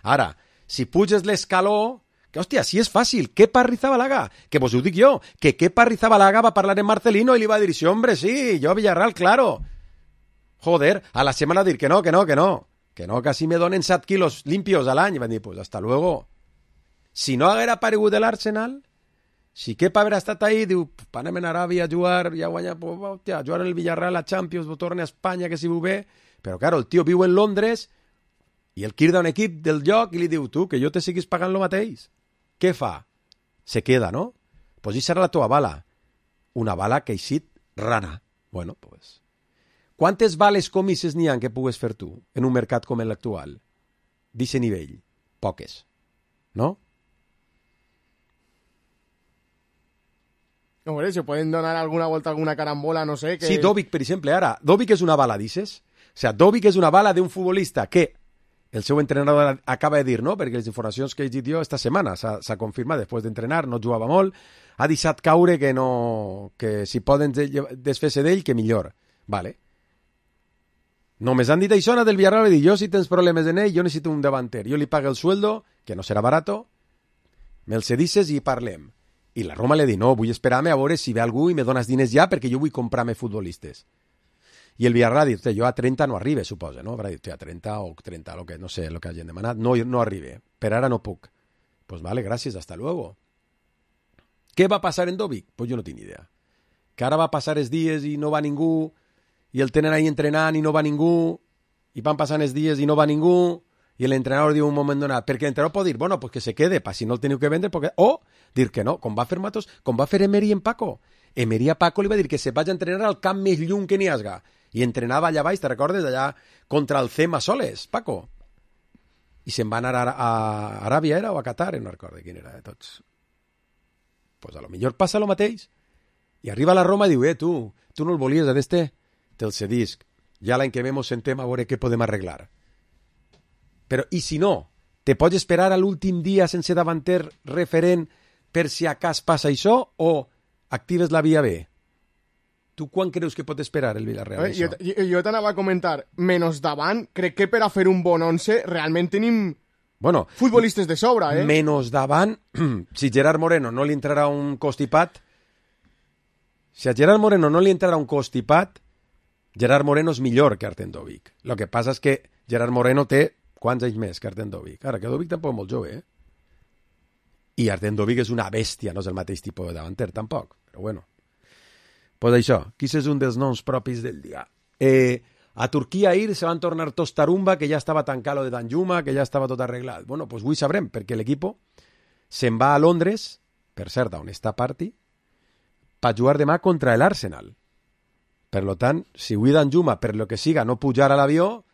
Ara, si puges l'escaló, que, hòstia, si és fàcil, Kepa Arrizabalaga, que vos ho dic jo, que Kepa Arrizabalaga va parlar amb Marcelino i li va dir, sí, hombre, sí, jo Villarreal, claro. Joder, a la setmana dir que no, que no, que no, que no, que si me donen set quilos limpios a l'any, i van dir, pues hasta luego. Si no haguera aparegut l'Arsenal, si Kepa haguera estat ahí, diu, anem a Aràbia a jugar, ja guanya, pues, hòstia, jugar en el Villarreal a Champions, torna a Espanya, que si ho ve, però claro, el tio viu en Londres i el quirda un equip del lloc i li diu, tu, que jo te siguis pagant lo mateix. Què fa? Se queda, no? Pues això serà la teva bala. Una bala que ha eixit rana. Bueno, pues... Quantes bales comisses n'hi ha que pugues fer tu en un mercat com l'actual? D'aquest nivell. Poques. No? Hombre, se pueden donar alguna vuelta, alguna carambola, no sé. Que... Sí, Dovic, per exemple, ara. Dovic és una bala, dices? O sea, Dovic és una bala d'un futbolista que el seu entrenador acaba de dir, no? Perquè les informacions que he dit jo esta setmana s'ha confirmat, després d'entrenar, no jugava molt, ha deixat caure que no... que si poden desfer-se d'ell, que millor. Vale. Només han dit això del Villarreal i dir, jo si tens problemes en ell, jo necessito un davanter. Jo li pago el sueldo, que no serà barato, me'l cedisses i parlem. I la Roma li dit, no, vull esperar-me a veure si ve algú i me dones diners ja perquè jo vull comprar-me futbolistes. I el Villarreal ha dit, jo a trenta no arribe, suposa, no? Haurà dit, a trenta o trenta, lo que, no sé, el que hagin demanat, no, no arribe, per ara no puc. Pues vale, gràcies, hasta luego. Què va passar en Dovic? Pues jo no tinc idea. Que ara va passar els dies i no va ningú, i el tenen ahí entrenant i no va ningú, i van passant els dies i no va ningú, i l'entrenador diu un moment donat, perquè l'entrenador pot dir, bueno, pues que se quede, pa si no el teniu que vendre, porque... o dir que no, com va fer Matos, com va fer Emery en Paco. Emery a Paco li va dir que se vaig a entrenar al camp més lluny que n'hi hasga, i entrenava allà baix, te recordes, allà contra el Cema Soles, Paco. I se'n va anar a, a Aràbia, era, o a Qatar, no recordo quin era de tots. Pues a lo millor passa lo mateix. I arriba a la Roma i diu, eh, tu, tu no el volies, a d'este? Te'l cedisc. Ja l'any que ve mos sentem a veure què podem arreglar. Però, i si no, te pots esperar a l'últim dia sense davanter referent per si a cas passa això, o actives la via B? Tu quan creus que pot esperar el Villarreal? Eh, jo jo, jo t'anava a comentar, menys davant, crec que per a fer un bon once realment tenim bueno, futbolistes de sobra, eh? Menys davant, si Gerard Moreno no li entrarà un costipat, si a Gerard Moreno no li entrarà un costipat, Gerard Moreno és millor que Artem Dovic. El que passa és que Gerard Moreno té quants anys més que Artem Dovic? Ara, que Dovic tampoc és molt jove, eh? I Artem Dovic és una bèstia, no és el mateix tipus de davanter, tampoc, però bueno. Pues això, qui és un dels noms propis del dia. Eh, a Turquia ahir se van tornar tots tarumba, que ja estava tancat lo de Danjuma, que ja estava tot arreglat. Bueno, pues avui sabrem, perquè l'equip se'n va a Londres, per cert, on està Party, per jugar demà contra l'Arsenal. Per lo tant, si avui Danjuma, per lo que siga, no pujar a l'avió,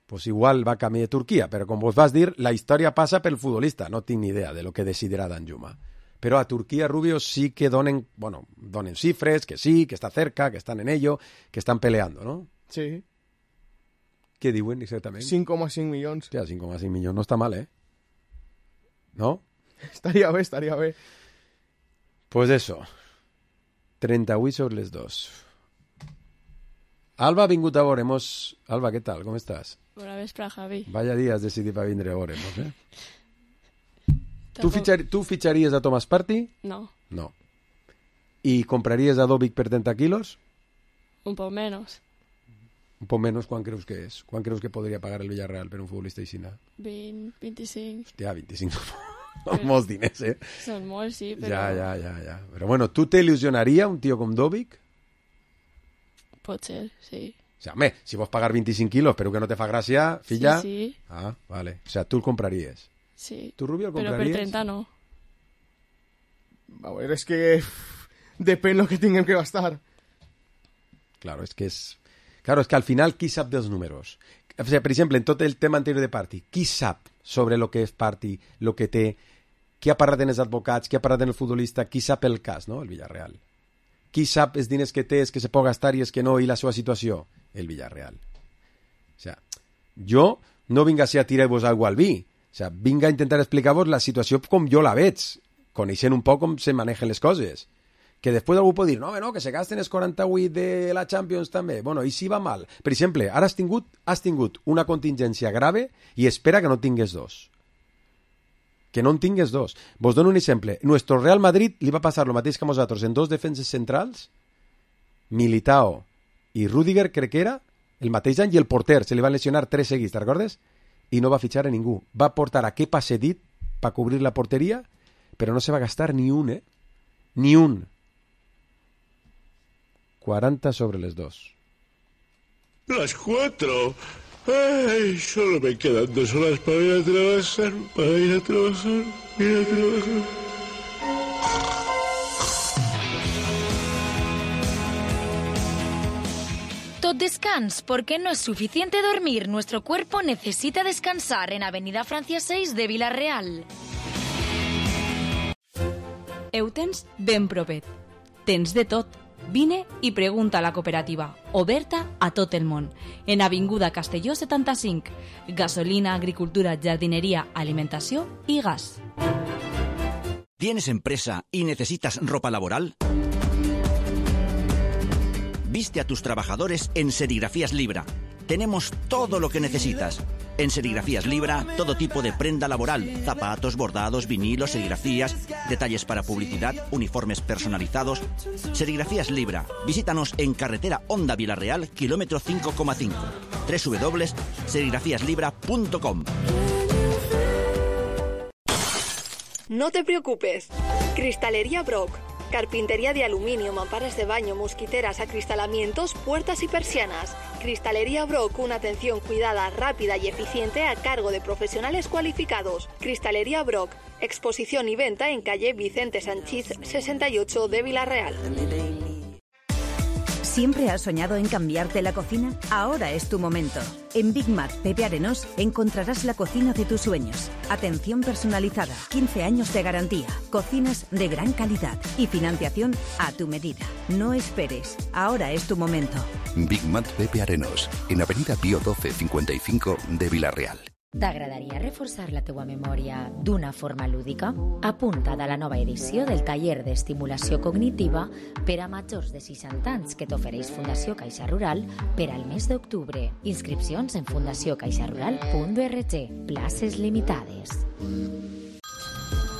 pues igual va camí de Turquia. Però com vos vas dir, la història passa pel futbolista. No tinc ni idea de lo que decidirà Danjuma. Però a Turquia, Rubio, sí que donen, bueno, donen cifres, que sí, que està cerca, que estan en ello, que estan peleando, ¿no? Sí. Què diuen exactament? cinc coma cinc milions. Hòstia, cinc coma cinc milions no està mal, eh? ¿No? Estaria bé, estaria bé. Pues eso. trenta-vuit sobre les dos. Alba ha vingut a veure-mos. Alba, què tal? Com estàs? Bona vespre, Javi. Vaya dia has decidit per vindre a veure-nos, eh? Tu, fitxar, tu fitxaries a Thomas Partey? No. No. ¿Y comprarías a Dovic per trenta kilos? Un poc menos. Un poc menys, quan creus que és? Quan creus que podria pagar el Villarreal per un futbolista així? vint, vint-i-cinc. Hòstia, vint-i-cinc són molts diners, eh? Són molts, sí, però... Ja, ja, ja, ja. Però bueno, ¿tú te ilusionaria un tío com Dovic? Pot ser, sí. O sea, home, si vols pagar vint-i-cinc kilos però que no te fa gràcia, filla... Sí, sí. Ah, vale. O sea, tu el compraries. Sí. ¿Tu, Rubio, el Però compraries? per trenta no. A veure, és que depèn lo que tinguem que gastar. Claro, es que es... Claro, es que al final, qui sap dels números? O sea, per exemple, en tot el tema anterior de Partey, qui sap sobre lo que és Partey, lo que té, qui ha parlat en els advocats, qui ha parlat en el futbolista, qui sap el cas, no? El Villarreal. Qui sap els diners que té, els que se pot gastar i els que no, i la seva situació? El Villarreal. O sea, jo no vinc a ser a tirar-vos aigua al vi. O sea, vinc a intentar explicar-vos la situació com jo la veig, coneixent un poc com se manejen les coses. Que després algú pot dir, no, no, que se gasten els quaranta-vuit de la Champions també. Bueno, i si va mal? Per exemple, ara has tingut, has tingut una contingència grave i espera que no tingues dos. que no en tingues dos. Vos dono un exemple. Nuestro Real Madrid li va passar el mateix que a nosaltres en dos defenses centrals, Militao i Rüdiger, crec que era, el mateix any, i el porter, se li van lesionar tres seguits, te'n recordes? I no va fitxar a ningú. Va portar a Kepa cedit per cobrir la porteria, però no se va gastar ni un, eh? Ni un. cuarenta sobre les dos. Las cuatro. Ay, solo me quedan dos horas para ir a trabajar, para ir a trabajar, ir a trabajar. Tot descans, porque no es suficiente dormir. Nuestro cuerpo necesita descansar en Avenida Francia seis de Vila-real. Ho tens ben propet. Tens de tot. Vine i pregunta a la cooperativa, oberta a tot el món. En Avinguda Castelló setanta-cinc. Gasolina, agricultura, jardinería, alimentació i gas. ¿Tienes empresa y necesitas ropa laboral? Viste a tus trabajadores en Serigrafías Libra. Tenemos todo lo que necesitas. En Serigrafías Libra, todo tipo de prenda laboral, zapatos, bordados, vinilos, serigrafías, detalles para publicidad, uniformes personalizados. Serigrafías Libra. Visítanos en carretera Honda Vila-real, kilómetro cinco coma cinco. doble u doble u doble u punto serigrafías libra punto com. No te preocupes. Cristalería Brock. Carpintería de aluminio, mamparas de baño, mosquiteras, acristalamientos, puertas y persianas. Cristalería Brock, una atención cuidada, rápida y eficiente a cargo de profesionales cualificados. Cristalería Brock, exposición y venta en calle Vicente Sanchís sesenta y ocho de Vila-real. ¿Siempre has soñado en cambiarte la cocina? Ahora es tu momento. En Big Mac Pepe Arenós encontrarás la cocina de tus sueños. Atención personalizada, quince años de garantía, cocinas de gran calidad y financiación a tu medida. No esperes, ahora es tu momento. Big Mac Pepe Arenós, en Avenida Pío doce cincuenta y cinco de Vila-real. T'agradaria reforçar la teua memòria d'una forma lúdica? Apunta't a la nova edició del taller d'estimulació cognitiva per a majors de seixanta anys que t'ofereix Fundació Caixa Rural per al mes d'octubre. Inscripcions en fundació caixa rural punt org. Places limitades.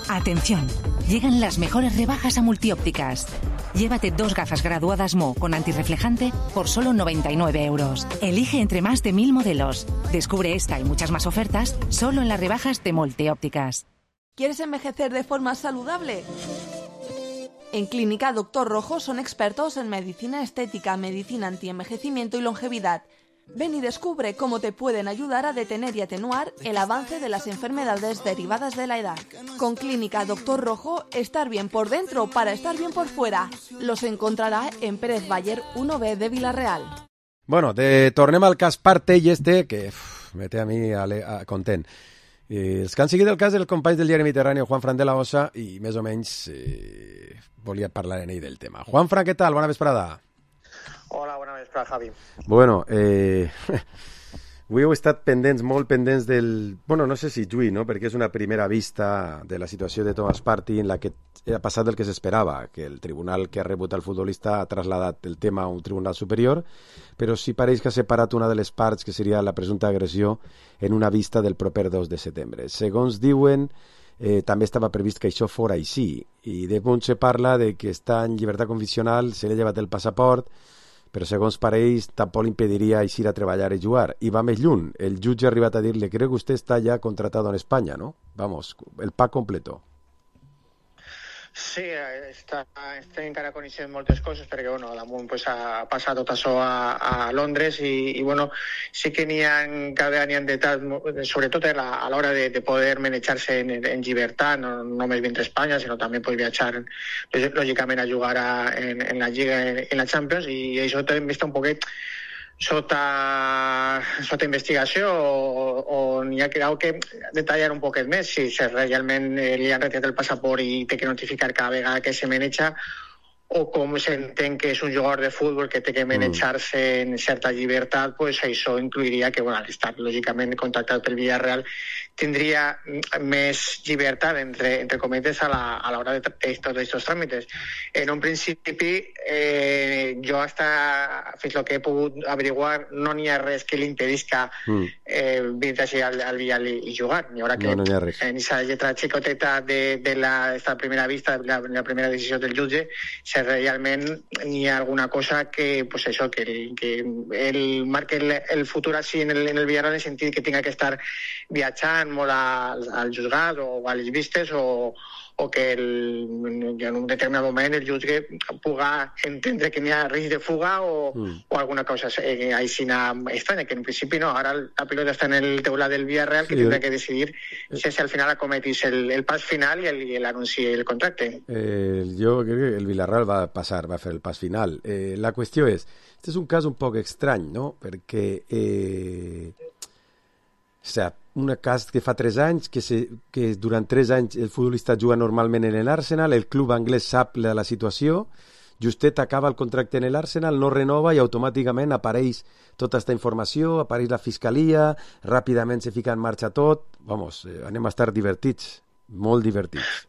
Atención, llegan las mejores rebajas a Multiópticas. Llévate dos gafas graduadas Mo con antirreflejante por solo noventa y nueve euros. Elige entre más de mil modelos. Descubre esta y muchas más ofertas solo en las rebajas de Multiópticas. ¿Quieres envejecer de forma saludable? En Clínica Doctor Rojo son expertos en medicina estética, medicina antienvejecimiento y longevidad. Ven y descubre cómo te pueden ayudar a detener y atenuar el avance de las enfermedades derivadas de la edad. Con Clínica Doctor Rojo, estar bien por dentro para estar bien por fuera. Los encontrará en Pérez Bayer uno B de Vila-real. Bueno, de, tornem al cas Partey este, que uf, me té a mi a, a, content. Eh, els que han seguit el cas del company del diari Mediterrani, Juan Fran de la Osa, i més o menys eh, volia parlar en ell del tema. Juan Fran, què tal? Bona vesprada. Hola, bona vesprada, Javi. Bueno, eh, avui heu estat pendents, molt pendents del... Bueno, no sé si juí, no?, perquè és una primera vista de la situació de Thomas Partey en la que ha passat el que s'esperava, que el tribunal que ha rebut el futbolista ha trasladat el tema a un tribunal superior, però sí pareix que ha separat una de les parts, que seria la presumpta agressió, en una vista del proper dos de setembre. Segons diuen, eh, també estava previst que això fora així, i de punt se parla de que està en llibertat condicional, se li ha llevat el passaport, però segons pareix tampoc impediria eixir a treballar i jugar. I va més lluny. El jutge ha arribat a dir-li, creo que usted está ya contratado en España, ¿no? Vamos, el pack completo. Sí, està, està encara coneixent moltes coses perquè bueno, damunt pues, ha passat tot això a, a Londres i, i bueno, sí que n'hi ha cada n'hi ha detalls, sobretot a l'hora de, de poder manejar-se en, en llibertat, no només vindre a Espanya, sinó també poder viatjar lògicament a jugar a, en, en la Lliga, en, en la Champions, i això també està un poquet sota, sota investigació o, o n'hi ha que detallar un poquet més si, si realment li han retirat el passaport i té que notificar cada vegada que se maneja o com s'entén que és un jugador de futbol que té que manejar-se en certa llibertat, pues això incluiria que bueno, al estar lògicament contactat pel Villarreal tindria més llibertat, entre, entre cometes, a la, a l'hora de tots aquests tràmits. En un principi, eh, jo hasta fins el que he pogut averiguar, no n'hi ha res que li impedisca mm. eh, vindre així al, al Villar i, i jugar. Ni haurà que no, no hi ha res. En aquesta lletra xicoteta de, de la esta primera vista, la, la primera decisió del jutge, si realment n'hi ha alguna cosa que, pues això, que, que el marque el, el futur així en el, en el Villarreal, en el sentit que tinga que estar viatjant molt al, al juzgat o a les vistes, o, o que el, en un determinat moment el jutge puga entendre que n'hi ha risc de fuga o, mm. o alguna cosa eh, aixina estranya, que en principi no. Ara la pilota està en el teulat del Villarreal, que sí, tindrà que decidir si, si al final acometís el, el pas final i el, el anunci el contracte. Eh, jo crec que el Villarreal va passar, va fer el pas final. Eh, la qüestió és, este és un cas un poc estrany, no? Perquè eh, o sea, un cas que fa tres anys, que, se, que durant tres anys el futbolista juga normalment en l'Arsenal, el club anglès sap la, la situació, justet acaba el contracte en l'Arsenal, no renova i automàticament apareix tota aquesta informació, apareix la fiscalia, ràpidament se fica en marxa tot. Vamos, eh, anem a estar divertits, molt divertits.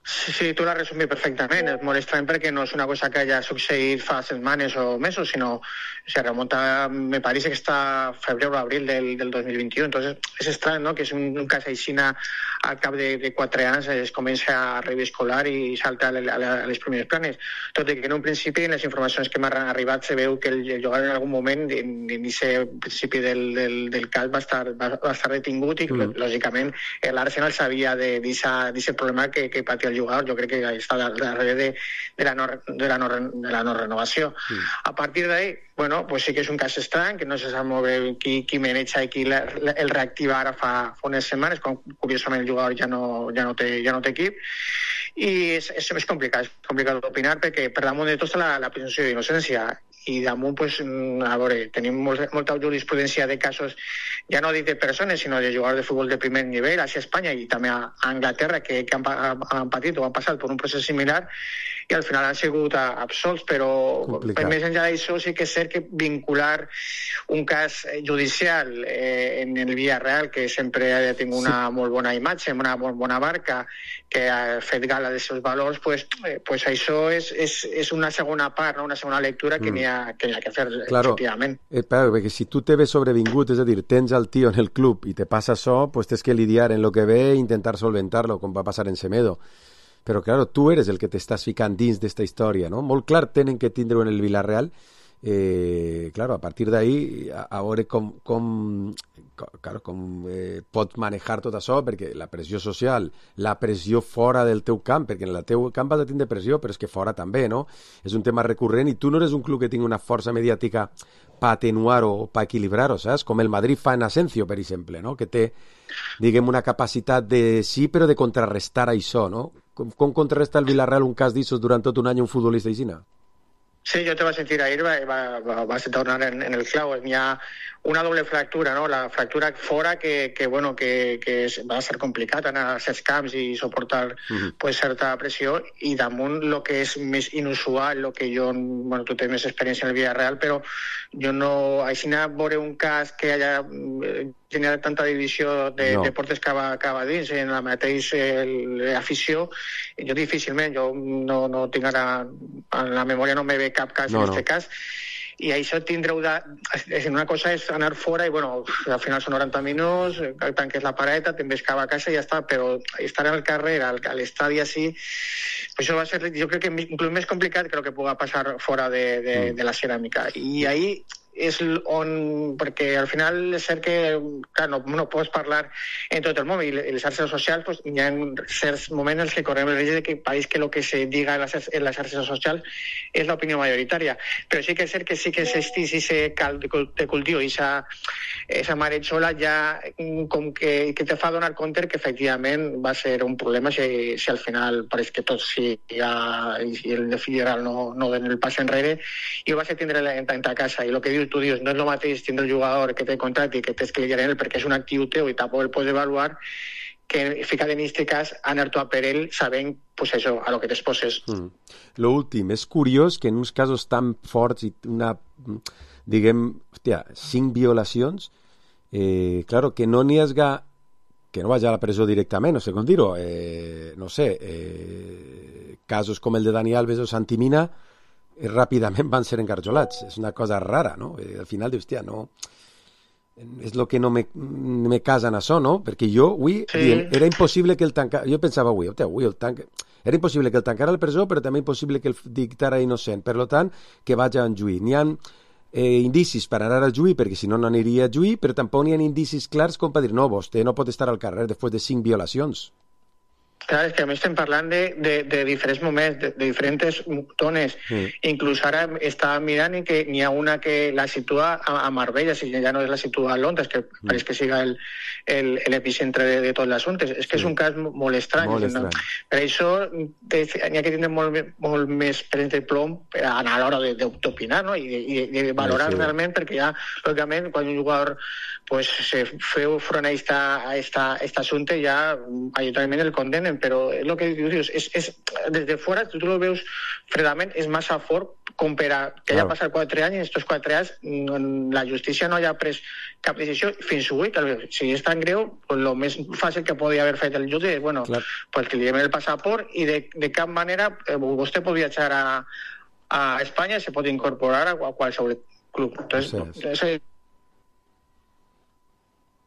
Sí, sí, tu l'has resumit perfectament. És molt estrany perquè no és una cosa que haya succeït fa setmanes o mesos, sinó se remunta, me parece que està febrer o abril del, del dos mil vint-i-u. Entonces, és estrany, no?, que és un, un cas aixina al cap de, de quatre anys es comença a reviscolar i salta a, a, a les primeres planes. Tot i que en un principi, en les informacions que m'han arribat, se veu que el, el jugador en algun moment, en l'inici principi del, del, del cas, va estar, va, va estar detingut i, mm. lògicament, l'Arsenal sabia d'aquest problema que, que patia el jugador. Jo crec que està darrere de, de, la no, de, la no, de la no renovació. Mm. A partir d'ahí, bueno, pues sí que és un cas estrany, que no se sap molt bé qui, qui maneja i qui la, la, el reactiva ara fa, fa unes setmanes, quan curiosament el jugador ja no, ja no, té, ja no té equip, i és, és, és complicat, és complicat d'opinar perquè per damunt de tot està la, la presumpció d'innocència, i damunt, pues, a veure, tenim molt, molta jurisprudència de casos, ja no dic de persones, sinó de jugadors de futbol de primer nivell, a Espanya i també a Anglaterra, que, que han, han patit o han passat per un procés similar, i al final han sigut absolts, però complicat. Més enllà d'això sí que és cert que vincular un cas judicial eh, en el Villarreal, que sempre ha tingut una sí. molt bona imatge, una molt bona marca, que ha fet gala dels seus valors, pues, eh, pues això és, és, és una segona part, no? Una segona lectura que mm. n'hi ha, que n'hi ha que fer, claro. efectivament. Eh, però, perquè si tu te ves sobrevingut, és a dir, tens el tio en el club i te passa això, pues tens que lidiar en lo que ve e intentar solventar-lo, com va passar en Semedo. Però, claro, tu eres el que t'estàs ficant dins d'esta història, no? Molt clar tenen que tindre en el Villarreal. Eh, claro, a partir d'ahí, a, a veure com, com, com, claro, com eh, pots manejar tot això, perquè la pressió social, la pressió fora del teu camp, perquè en el teu camp has de tindre pressió, però és que fora també, no? És un tema recurrent i tu no eres un club que tingui una força mediàtica per atenuar-ho o per equilibrar-ho, saps? Com el Madrid fa en Asensio, per exemple, no? Que té, diguem, una capacitat de sí, però de contrarrestar això, no? Com, com contrarresta el Villarreal un cas d'issos durant tot un any un futbolista aixina? Sí, jo te vaig sentir ahir, va, va, va, vas tornar en, en el clau. Hi ha una doble fractura, no? La fractura fora que, que, bueno, que, que és, va ser complicat anar a certs camps i suportar uh-huh. pues, certa pressió, i damunt el que és més inusual, el que jo, bueno, tu tens més experiència en el Villarreal, però jo no, així anar a veure un cas que haya generat tanta divisió de, no. de portes que va, que va dins en la mateixa afició, jo difícilment, jo no, no tinc ara, en la memòria no me ve cap cas no, en aquest no. cas, i això tindreu de... Una cosa és anar fora i, bueno, al final són noranta minuts, tanques la pareta, te'n ves cap a casa i ja està, però estar al carrer, al, a l'estadi així, pues això va ser, jo crec que inclús més complicat que el que pugui passar fora de, de, de la ceràmica. I ahí és on, perquè al final és cert que, clar, no, no pots parlar en tot el món, i les xarxes socials, pues, hi ha certs moments en els que correm el risc de que pareix que el que se diga en les, en les xarxes socials és l'opinió majoritària, però sí que és cert que sí que existís ese cal de cultiu, i esa, esa maretxola ja com que, que te fa donar compte que efectivament va ser un problema si, si al final pareix que tots si, ja, si el de Villarreal no, no den el pas enrere, i ho vas a tindre en, en ta casa, i el que dius tu dius, no és el mateix tindre el jugador que té contracte i que tens que lidiar en ell perquè és un actiu teu i tampoc el pots evaluar, que ficar en aquest cas anar tu a per ell sabent, pues això, a lo que t'exposes. Mm. Lo últim, és curiós que en uns casos tan forts i una, diguem, hòstia, cinc violacions, eh, claro, que no n'hi hagi que no vagi a la presó directament, no sé com dir-ho, eh, no sé, eh, casos com el de Dani Alves o Santi Mina eh, ràpidament van ser encarjolats. És una cosa rara, no? Eh, al final dius, hòstia, no... És el que no me, me casa en això, no? Perquè jo, avui, sí. dient, era impossible que el tancara... Jo pensava avui, hòstia, avui el tanca... Era impossible que el tancara a la presó, però també impossible que el dictara innocent. Per tant, que vagi a un juí. N'hi ha eh, indicis per anar al juí, perquè si no, no aniria a juí, però tampoc n'hi ha indicis clars com per dir, no, vostè no pot estar al carrer després de cinc violacions. Clar, és que a més estem parlant de, de, de diferents moments, de, de diferents tones. Mm. Inclús ara estava mirant i que n'hi ha una que la situa a, a Marbella, si ja no és la situa a Londres, que mm. pareix que siga el, el, l'epicentre de, de tot l'assumpte. És que sí. és un cas molt estrany. Molt estrany. Per això n'hi ha que tenir molt, molt més prens de plom a l'hora d'opinar, no? I de, i de valorar sí, sí. realment, perquè ja, lògicament, quan un jugador pues, se feu front a aquest assumpte, ja majoritàriament el condenen, però el que dius, és, és, des de fora, tu lo veus fredament, és massa fort com per a que haya passat quatre anys, i en aquests quatre anys la justícia no hagi pres cap decisió fins avui. Si és tan greu, el pues, més fàcil que podia haver fet el jutge és, bueno, pues, que li donen el passaport i de, de cap manera eh, vostè pot viatjar a, a Espanya i se pot incorporar a qualsevol club. Entonces, sí, sí.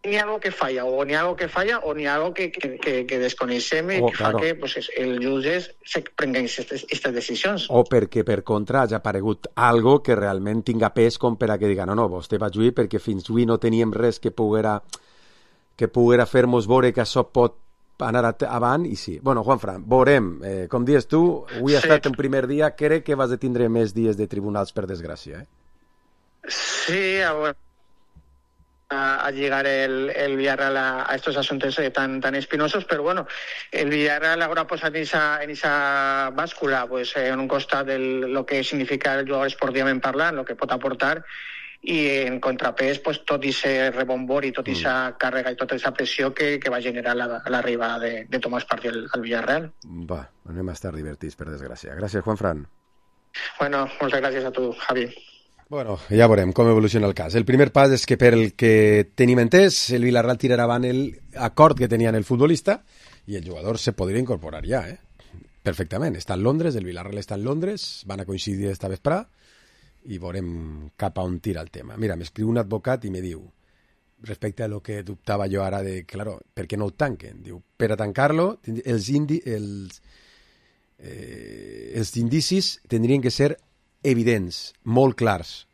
Ni algo que falla, o ni algo que falla, o ni algo que, que, que, que desconeixem i oh, que claro. fa que pues, el jutge se prenguen aquestes decisions. O perquè, per contra, hagi aparegut algo que realment tinga pes com per a que diga no, no, vostè va juir perquè fins avui no teníem res que poguera, que poguera fer-nos veure que això pot anar avant, i sí. Bueno, Juanfran, veurem. Eh, com dius tu, avui ha sí. estat un primer dia, crec que vas a tindre més dies de tribunals, per desgràcia, eh? Sí, a veure, a llegar el, el Villarreal a, a estos asuntos tan, tan espinosos, pero bueno, el Villarreal ahora pues en esa, en esa báscula, pues en un costat de lo que significa el jugador esportivament parlant, lo que pot aportar, i en contrapès pues, tot ese rebombor i tota aquesta mm. càrrega i tota aquesta pressió que, que va generar la, l'arribada de, de Tomàs Partí al, al Villarreal. Va, anem a estar divertits, per desgràcia. Gràcies, Juanfran. Bueno, moltes gràcies a tu, Javi. Bueno, ja veurem com evoluciona el cas. El primer pas és que, per el que tenim entès, el Villarreal tirarà avant el acord que tenia el futbolista i el jugador se podria incorporar ja, eh? Perfectament. Està en Londres, el Villarreal està en Londres, van a coincidir esta vesprà i veurem cap a on tira el tema. Mira, m'escriu un advocat i me diu, respecte a lo que dubtava jo ara de, claro, per què no ho tanquen? Diu, per a tancar-lo, els, indi, els, eh, els indicis tindrien que ser evidents, molt clars.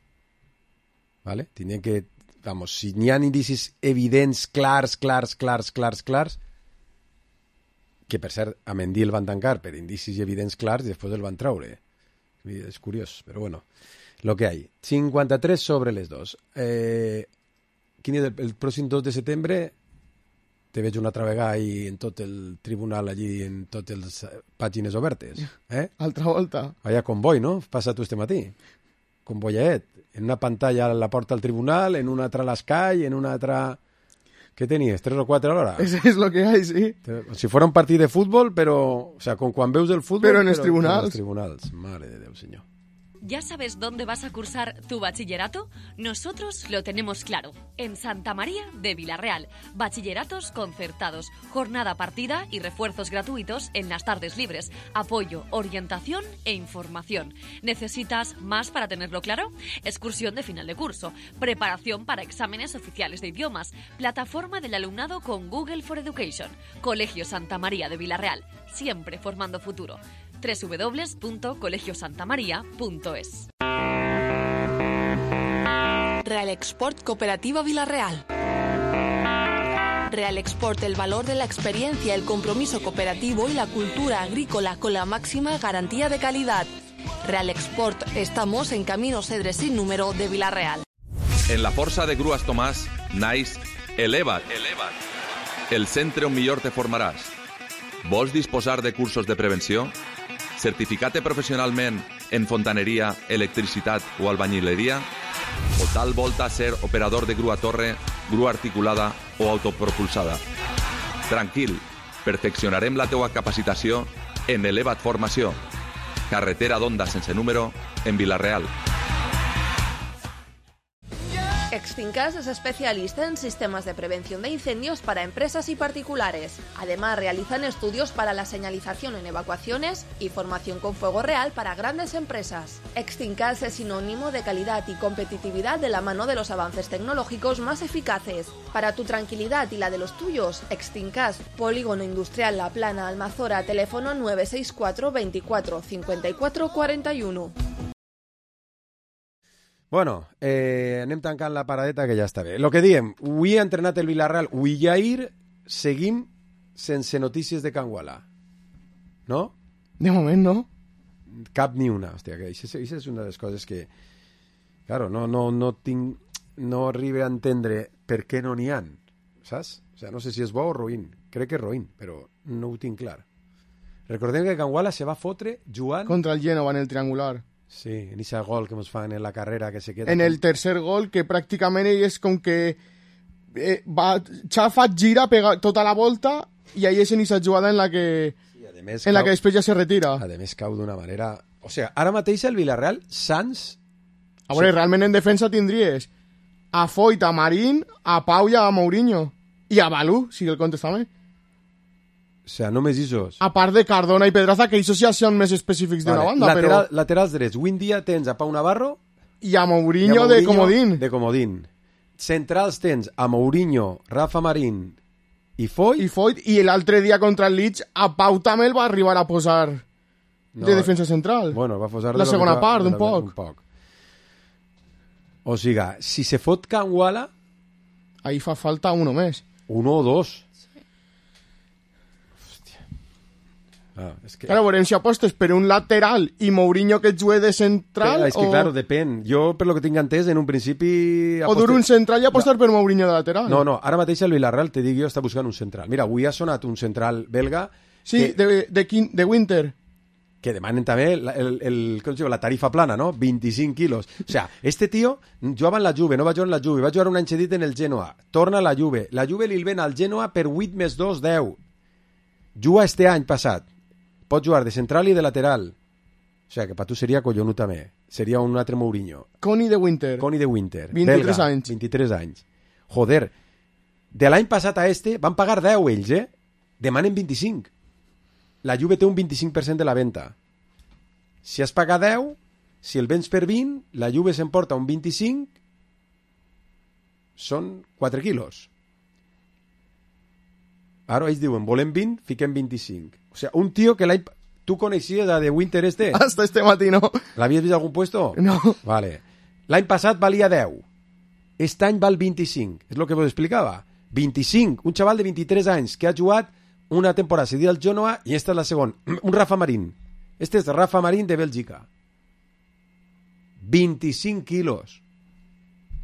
¿Vale? Tindrien que, vamos, si n'hi ha indicis evidents, clars, clars, clars, clars, clars, que per cert, a Mendy el van tancar per indicis evidents clars i després el van treure. És curiós, però bueno, lo que hay. cinquanta-tres sobre les dos. Eh, quin és el, el pròxim dos de setembre? Te veig una altra vegada ahí en tot el tribunal, allí en totes les pàgines obertes. Eh? Altra volta. Vaya convoi, no? Passa tu este matí. Convoyaet. En una pantalla a la porta del tribunal, en una altra a l'Sky, en una altra... Què tenies? Tres o quatre a l'hora? Eso es lo que hay, sí. Si fuera un partit de futbol, però... O sea, con quan veus el futbol... Però en els tribunals. En els tribunals. Mare de Déu, senyor. ¿Ya sabes dónde vas a cursar tu bachillerato? Nosotros lo tenemos claro. En Santa María de Villarreal. Bachilleratos concertados, jornada partida y refuerzos gratuitos en las tardes libres. Apoyo, orientación e información. ¿Necesitas más para tenerlo claro? Excursión de final de curso. Preparación para exámenes oficiales de idiomas. Plataforma del alumnado con Google for Education. Colegio Santa María de Villarreal. Siempre formando futuro. doble u doble u doble u punto colegio santa maría punto es. Real Export Cooperativa Villarreal. Real Export, el valor de la experiencia, el compromiso cooperativo y la cultura agrícola con la máxima garantía de calidad. Real Export, estamos en Camino Cedre sin número de Villarreal. En la Força de Grues Tomàs naix Eleva't. Eleva't. El centre on millor te formaràs. Vols disposar de cursos de prevenció? Certificat-te professionalment en fontaneria, electricitat o albañileria? O tal volta ser operador de grua torre, grua articulada o autopropulsada? Tranquil, perfeccionarem la teua capacitació en Eleva't Formació. Carretera d'Onda sense número en Vilareal. Extincas es especialista en sistemas de prevención de incendios para empresas y particulares. Además, realizan estudios para la señalización en evacuaciones y formación con fuego real para grandes empresas. Extincas es sinónimo de calidad y competitividad de la mano de los avances tecnológicos más eficaces. Para tu tranquilidad y la de los tuyos, Extincas, Polígono Industrial La Plana, Almazora, teléfono nueve seis cuatro veinticuatro cincuenta y cuatro cuarenta y uno. Bueno, eh, anem tancant la paradeta, que ja està bé. Lo que diem, avui ha entrenat el Villarreal, avui i ahir seguim sense notícies de Can Guala. No? De moment, no. Cap ni una. Hòstia, que això és una de les coses que... Claro, no, no, no tinc... No arribo a entendre per què no n'hi ha, saps? O sea, no sé si és bo o roïn. Crec que és roïn, però no ho tinc clar. Recordem que Can Guala se va fotre jugant... Contra el Génova en el triangular. Sí, en ese gol que ens fan en la carrera que se queda... En el tercer gol, que pràcticament ell és com que eh, va, xafa, gira, pega tota la volta i ahí és en esa jugada en la que sí, més, en la que després ja se retira. A més cau d'una manera... O sigui, ara mateix el Villarreal, Sans... A veure, sí. Realment en defensa tindries a Foyt, a Marín, a Pau i a Mourinho. I a Balú, si el contestament. O sea, només isos. A part de Cardona i Pedraza, que isos ja són més específics d'una vale. banda, Lateral, però... Laterals drets. Avui en dia tens a Pau Navarro... I a Mourinho, i a Mourinho de comodín. De comodín. Centrals tens a Mourinho, Rafa Marín i Foyt. I Foyt. I l'altre dia contra el Leeds, a Pau també el va arribar a posar no, de defensa central. Bueno, va posar... La segona va, part, un poc. un poc. O sigui, si se fot Can Guala... Ahí fa falta uno més. Uno o dos. Ah, es que... Claro, veurem si apostes per un lateral i Mourinho que jugue de central. Però és que, o... claro, depèn. Jo, per lo que tinc entès, en un principi... Apostes... O dur un central i apostar no. per Mourinho de lateral. No, no, ara mateix el Villarreal, te dic jo, està buscant un central. Mira, avui ha sonat un central belga... Sí, que... de, de, de Winter. Que demanen també el, el, el, el, la tarifa plana, no? vint-i-cinc quilos. O sea, este tío jugava en la Juve, no va jugar en la Juve, va jugar un any cedit en el Genoa, torna a la Juve, la Juve li ven al Genoa per vuit més dos, deu. Juga este any passat. Pot jugar de central i de lateral. O sea, que per tu seria collonut també. Seria un altre Mourinho. Connie de Winter. Connie de Winter. vint-i-tres belga, anys. vint-i-tres anys. Joder, de l'any passat a este van pagar deu ells, eh? Demanen vint-i-cinc. La Juve té un vint-i-cinc per cent de la venda. Si has pagat deu, si el vens per vint, la Juve s'emporta un vint-i-cinc, són quatre quilos. Ara ells diuen, volem vint, fiquem vint-i-cinc. O sigui, un tio que l'any... Tu coneixies a The Winter este? Hasta este matí, no. L'havies vist a algun puesto? No. Vale. L'any passat valia deu. Este any val vint-i-cinc. És el que vos explicava. vint-i-cinc. Un xaval de vint-i-tres anys que ha jugat una temporada seguida al Genoa i esta és la segona. Un Rafa Marín. Este és Rafa Marín de Bèlgica. vint-i-cinc quilos.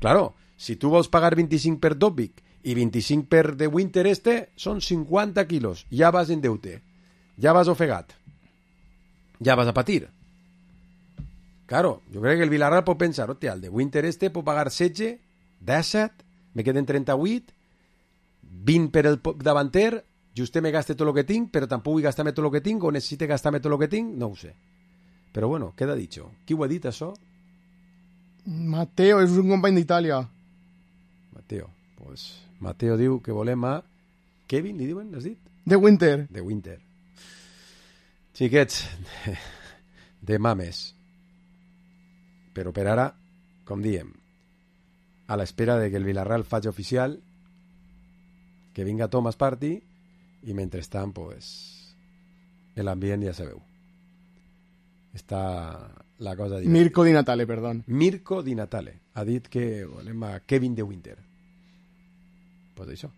Claro, si tu vols pagar vint-i-cinc per Dobbik i vint-i-cinc per The Winter este, són cinquanta quilos. Ja vas en deute. Ja vas ofegat. Ja vas a patir. Claro, jo crec que el Villarreal pot pensar, hòstia, el The Winter este pot pagar setze, disset, me queden trenta-vuit, vint per el davanter, justet me gaste tot el que tinc, però tampoc vull gastar-me tot el que tinc, o necessite gastar-me tot el que tinc, no ho sé. Però bueno, queda dicho. Qui ho ha dit, això? Mateo, és un company d'Itàlia. Mateo. Pues Mateo diu que volem a... Kevin, li diuen, has dit? De Winter. De Winter. Xiquets, de, de mames. Però per ara, com diem, a l'espera de que el Villarreal faci oficial, que vinga Thomas Partey, i mentrestant, pues, l'ambient ja sabeu. Està la cosa... Divertida. Mirko Di Natale, perdó. Mirko Di Natale. Ha dit que volem a Kevin De Winter. Pues això.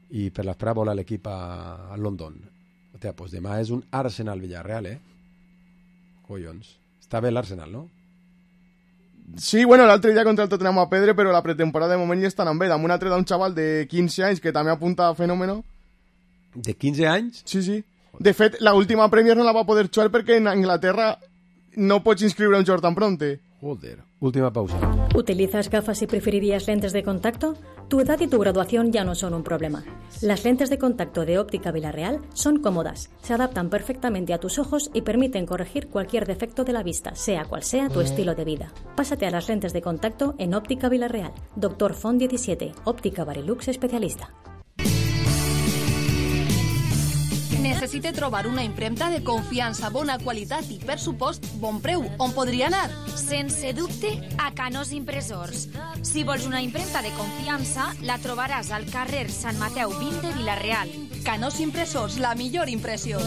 I per l'esperar vola l'equip a, a London. Hòstia, pues demà és un Arsenal-Villarreal, eh? Collons. Està bé l'Arsenal, no? Sí, bueno, l'altre dia contra el Tottenham a Pedre, però la pretemporada de moment ja estan amb ell. Amb un altre d'un xaval de quinze anys que també apunta a fenòmeno. De quinze anys? Sí, sí. De fet, la última Premier no la va poder jugar perquè en Anglaterra no pots inscriure un jugador tan pronte. Joder. Última pausa. ¿Utilizas gafas y preferirías lentes de contacto? Tu edad y tu graduación ya no son un problema. Las lentes de contacto de Óptica Villarreal son cómodas, se adaptan perfectamente a tus ojos y permiten corregir cualquier defecto de la vista, sea cual sea tu estilo de vida. Pásate a las lentes de contacto en Óptica Villarreal. Doctor Font diecisiete, Óptica Barilux especialista. Necessite trobar una impremta de confiança, bona qualitat i, per supost, bon preu. On podria anar? Sense dubte, a Canós Impressors. Si vols una impremta de confiança, la trobaràs al carrer Sant Mateu vint de Vila-real. Canós Impressors, la millor impressió.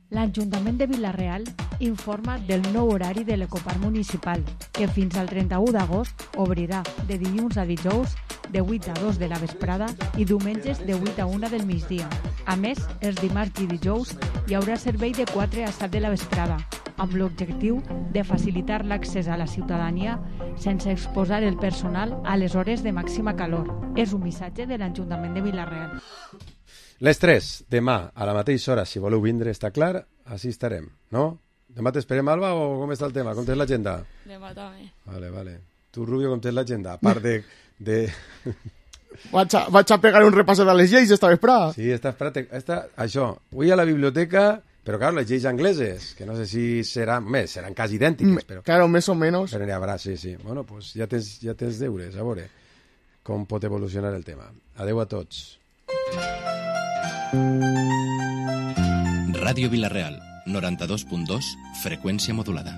L'Ajuntament de Vila-real informa del nou horari de l'Ecoparc Municipal, que fins al trenta-u d'agost obrirà de dilluns a dijous de vuit a dos de la vesprada i diumenges de vuit a una del migdia. A més, els dimarts i dijous hi haurà servei de quatre a set de la vesprada, amb l'objectiu de facilitar l'accés a la ciutadania sense exposar el personal a les hores de màxima calor. És un missatge de l'Ajuntament de Vila-real. Les tres, demà, a la mateixa hora, si voleu vindre, està clar, així estarem, no? Demà t'esperem, Alba, o com està el tema? Com tens l'agenda? Demà també. Vale, vale. Tu, Rubio, com tens l'agenda? A part de... de... Vaig a, vaig a pegar un repàs de les lleis esta vesprada. Sí, esta vesprada, esta, això, vull a la biblioteca, però clar, les lleis angleses, que no sé si seran, més, seran quasi idèntiques, però... Claro, més o menys. Però n'hi haurà, sí, sí. Bueno, pues ja tens, ja tens deures, a veure com pot evolucionar el tema. Adeu a tots. Ràdio Vila-real, noranta-dos punt dos, freqüència modulada.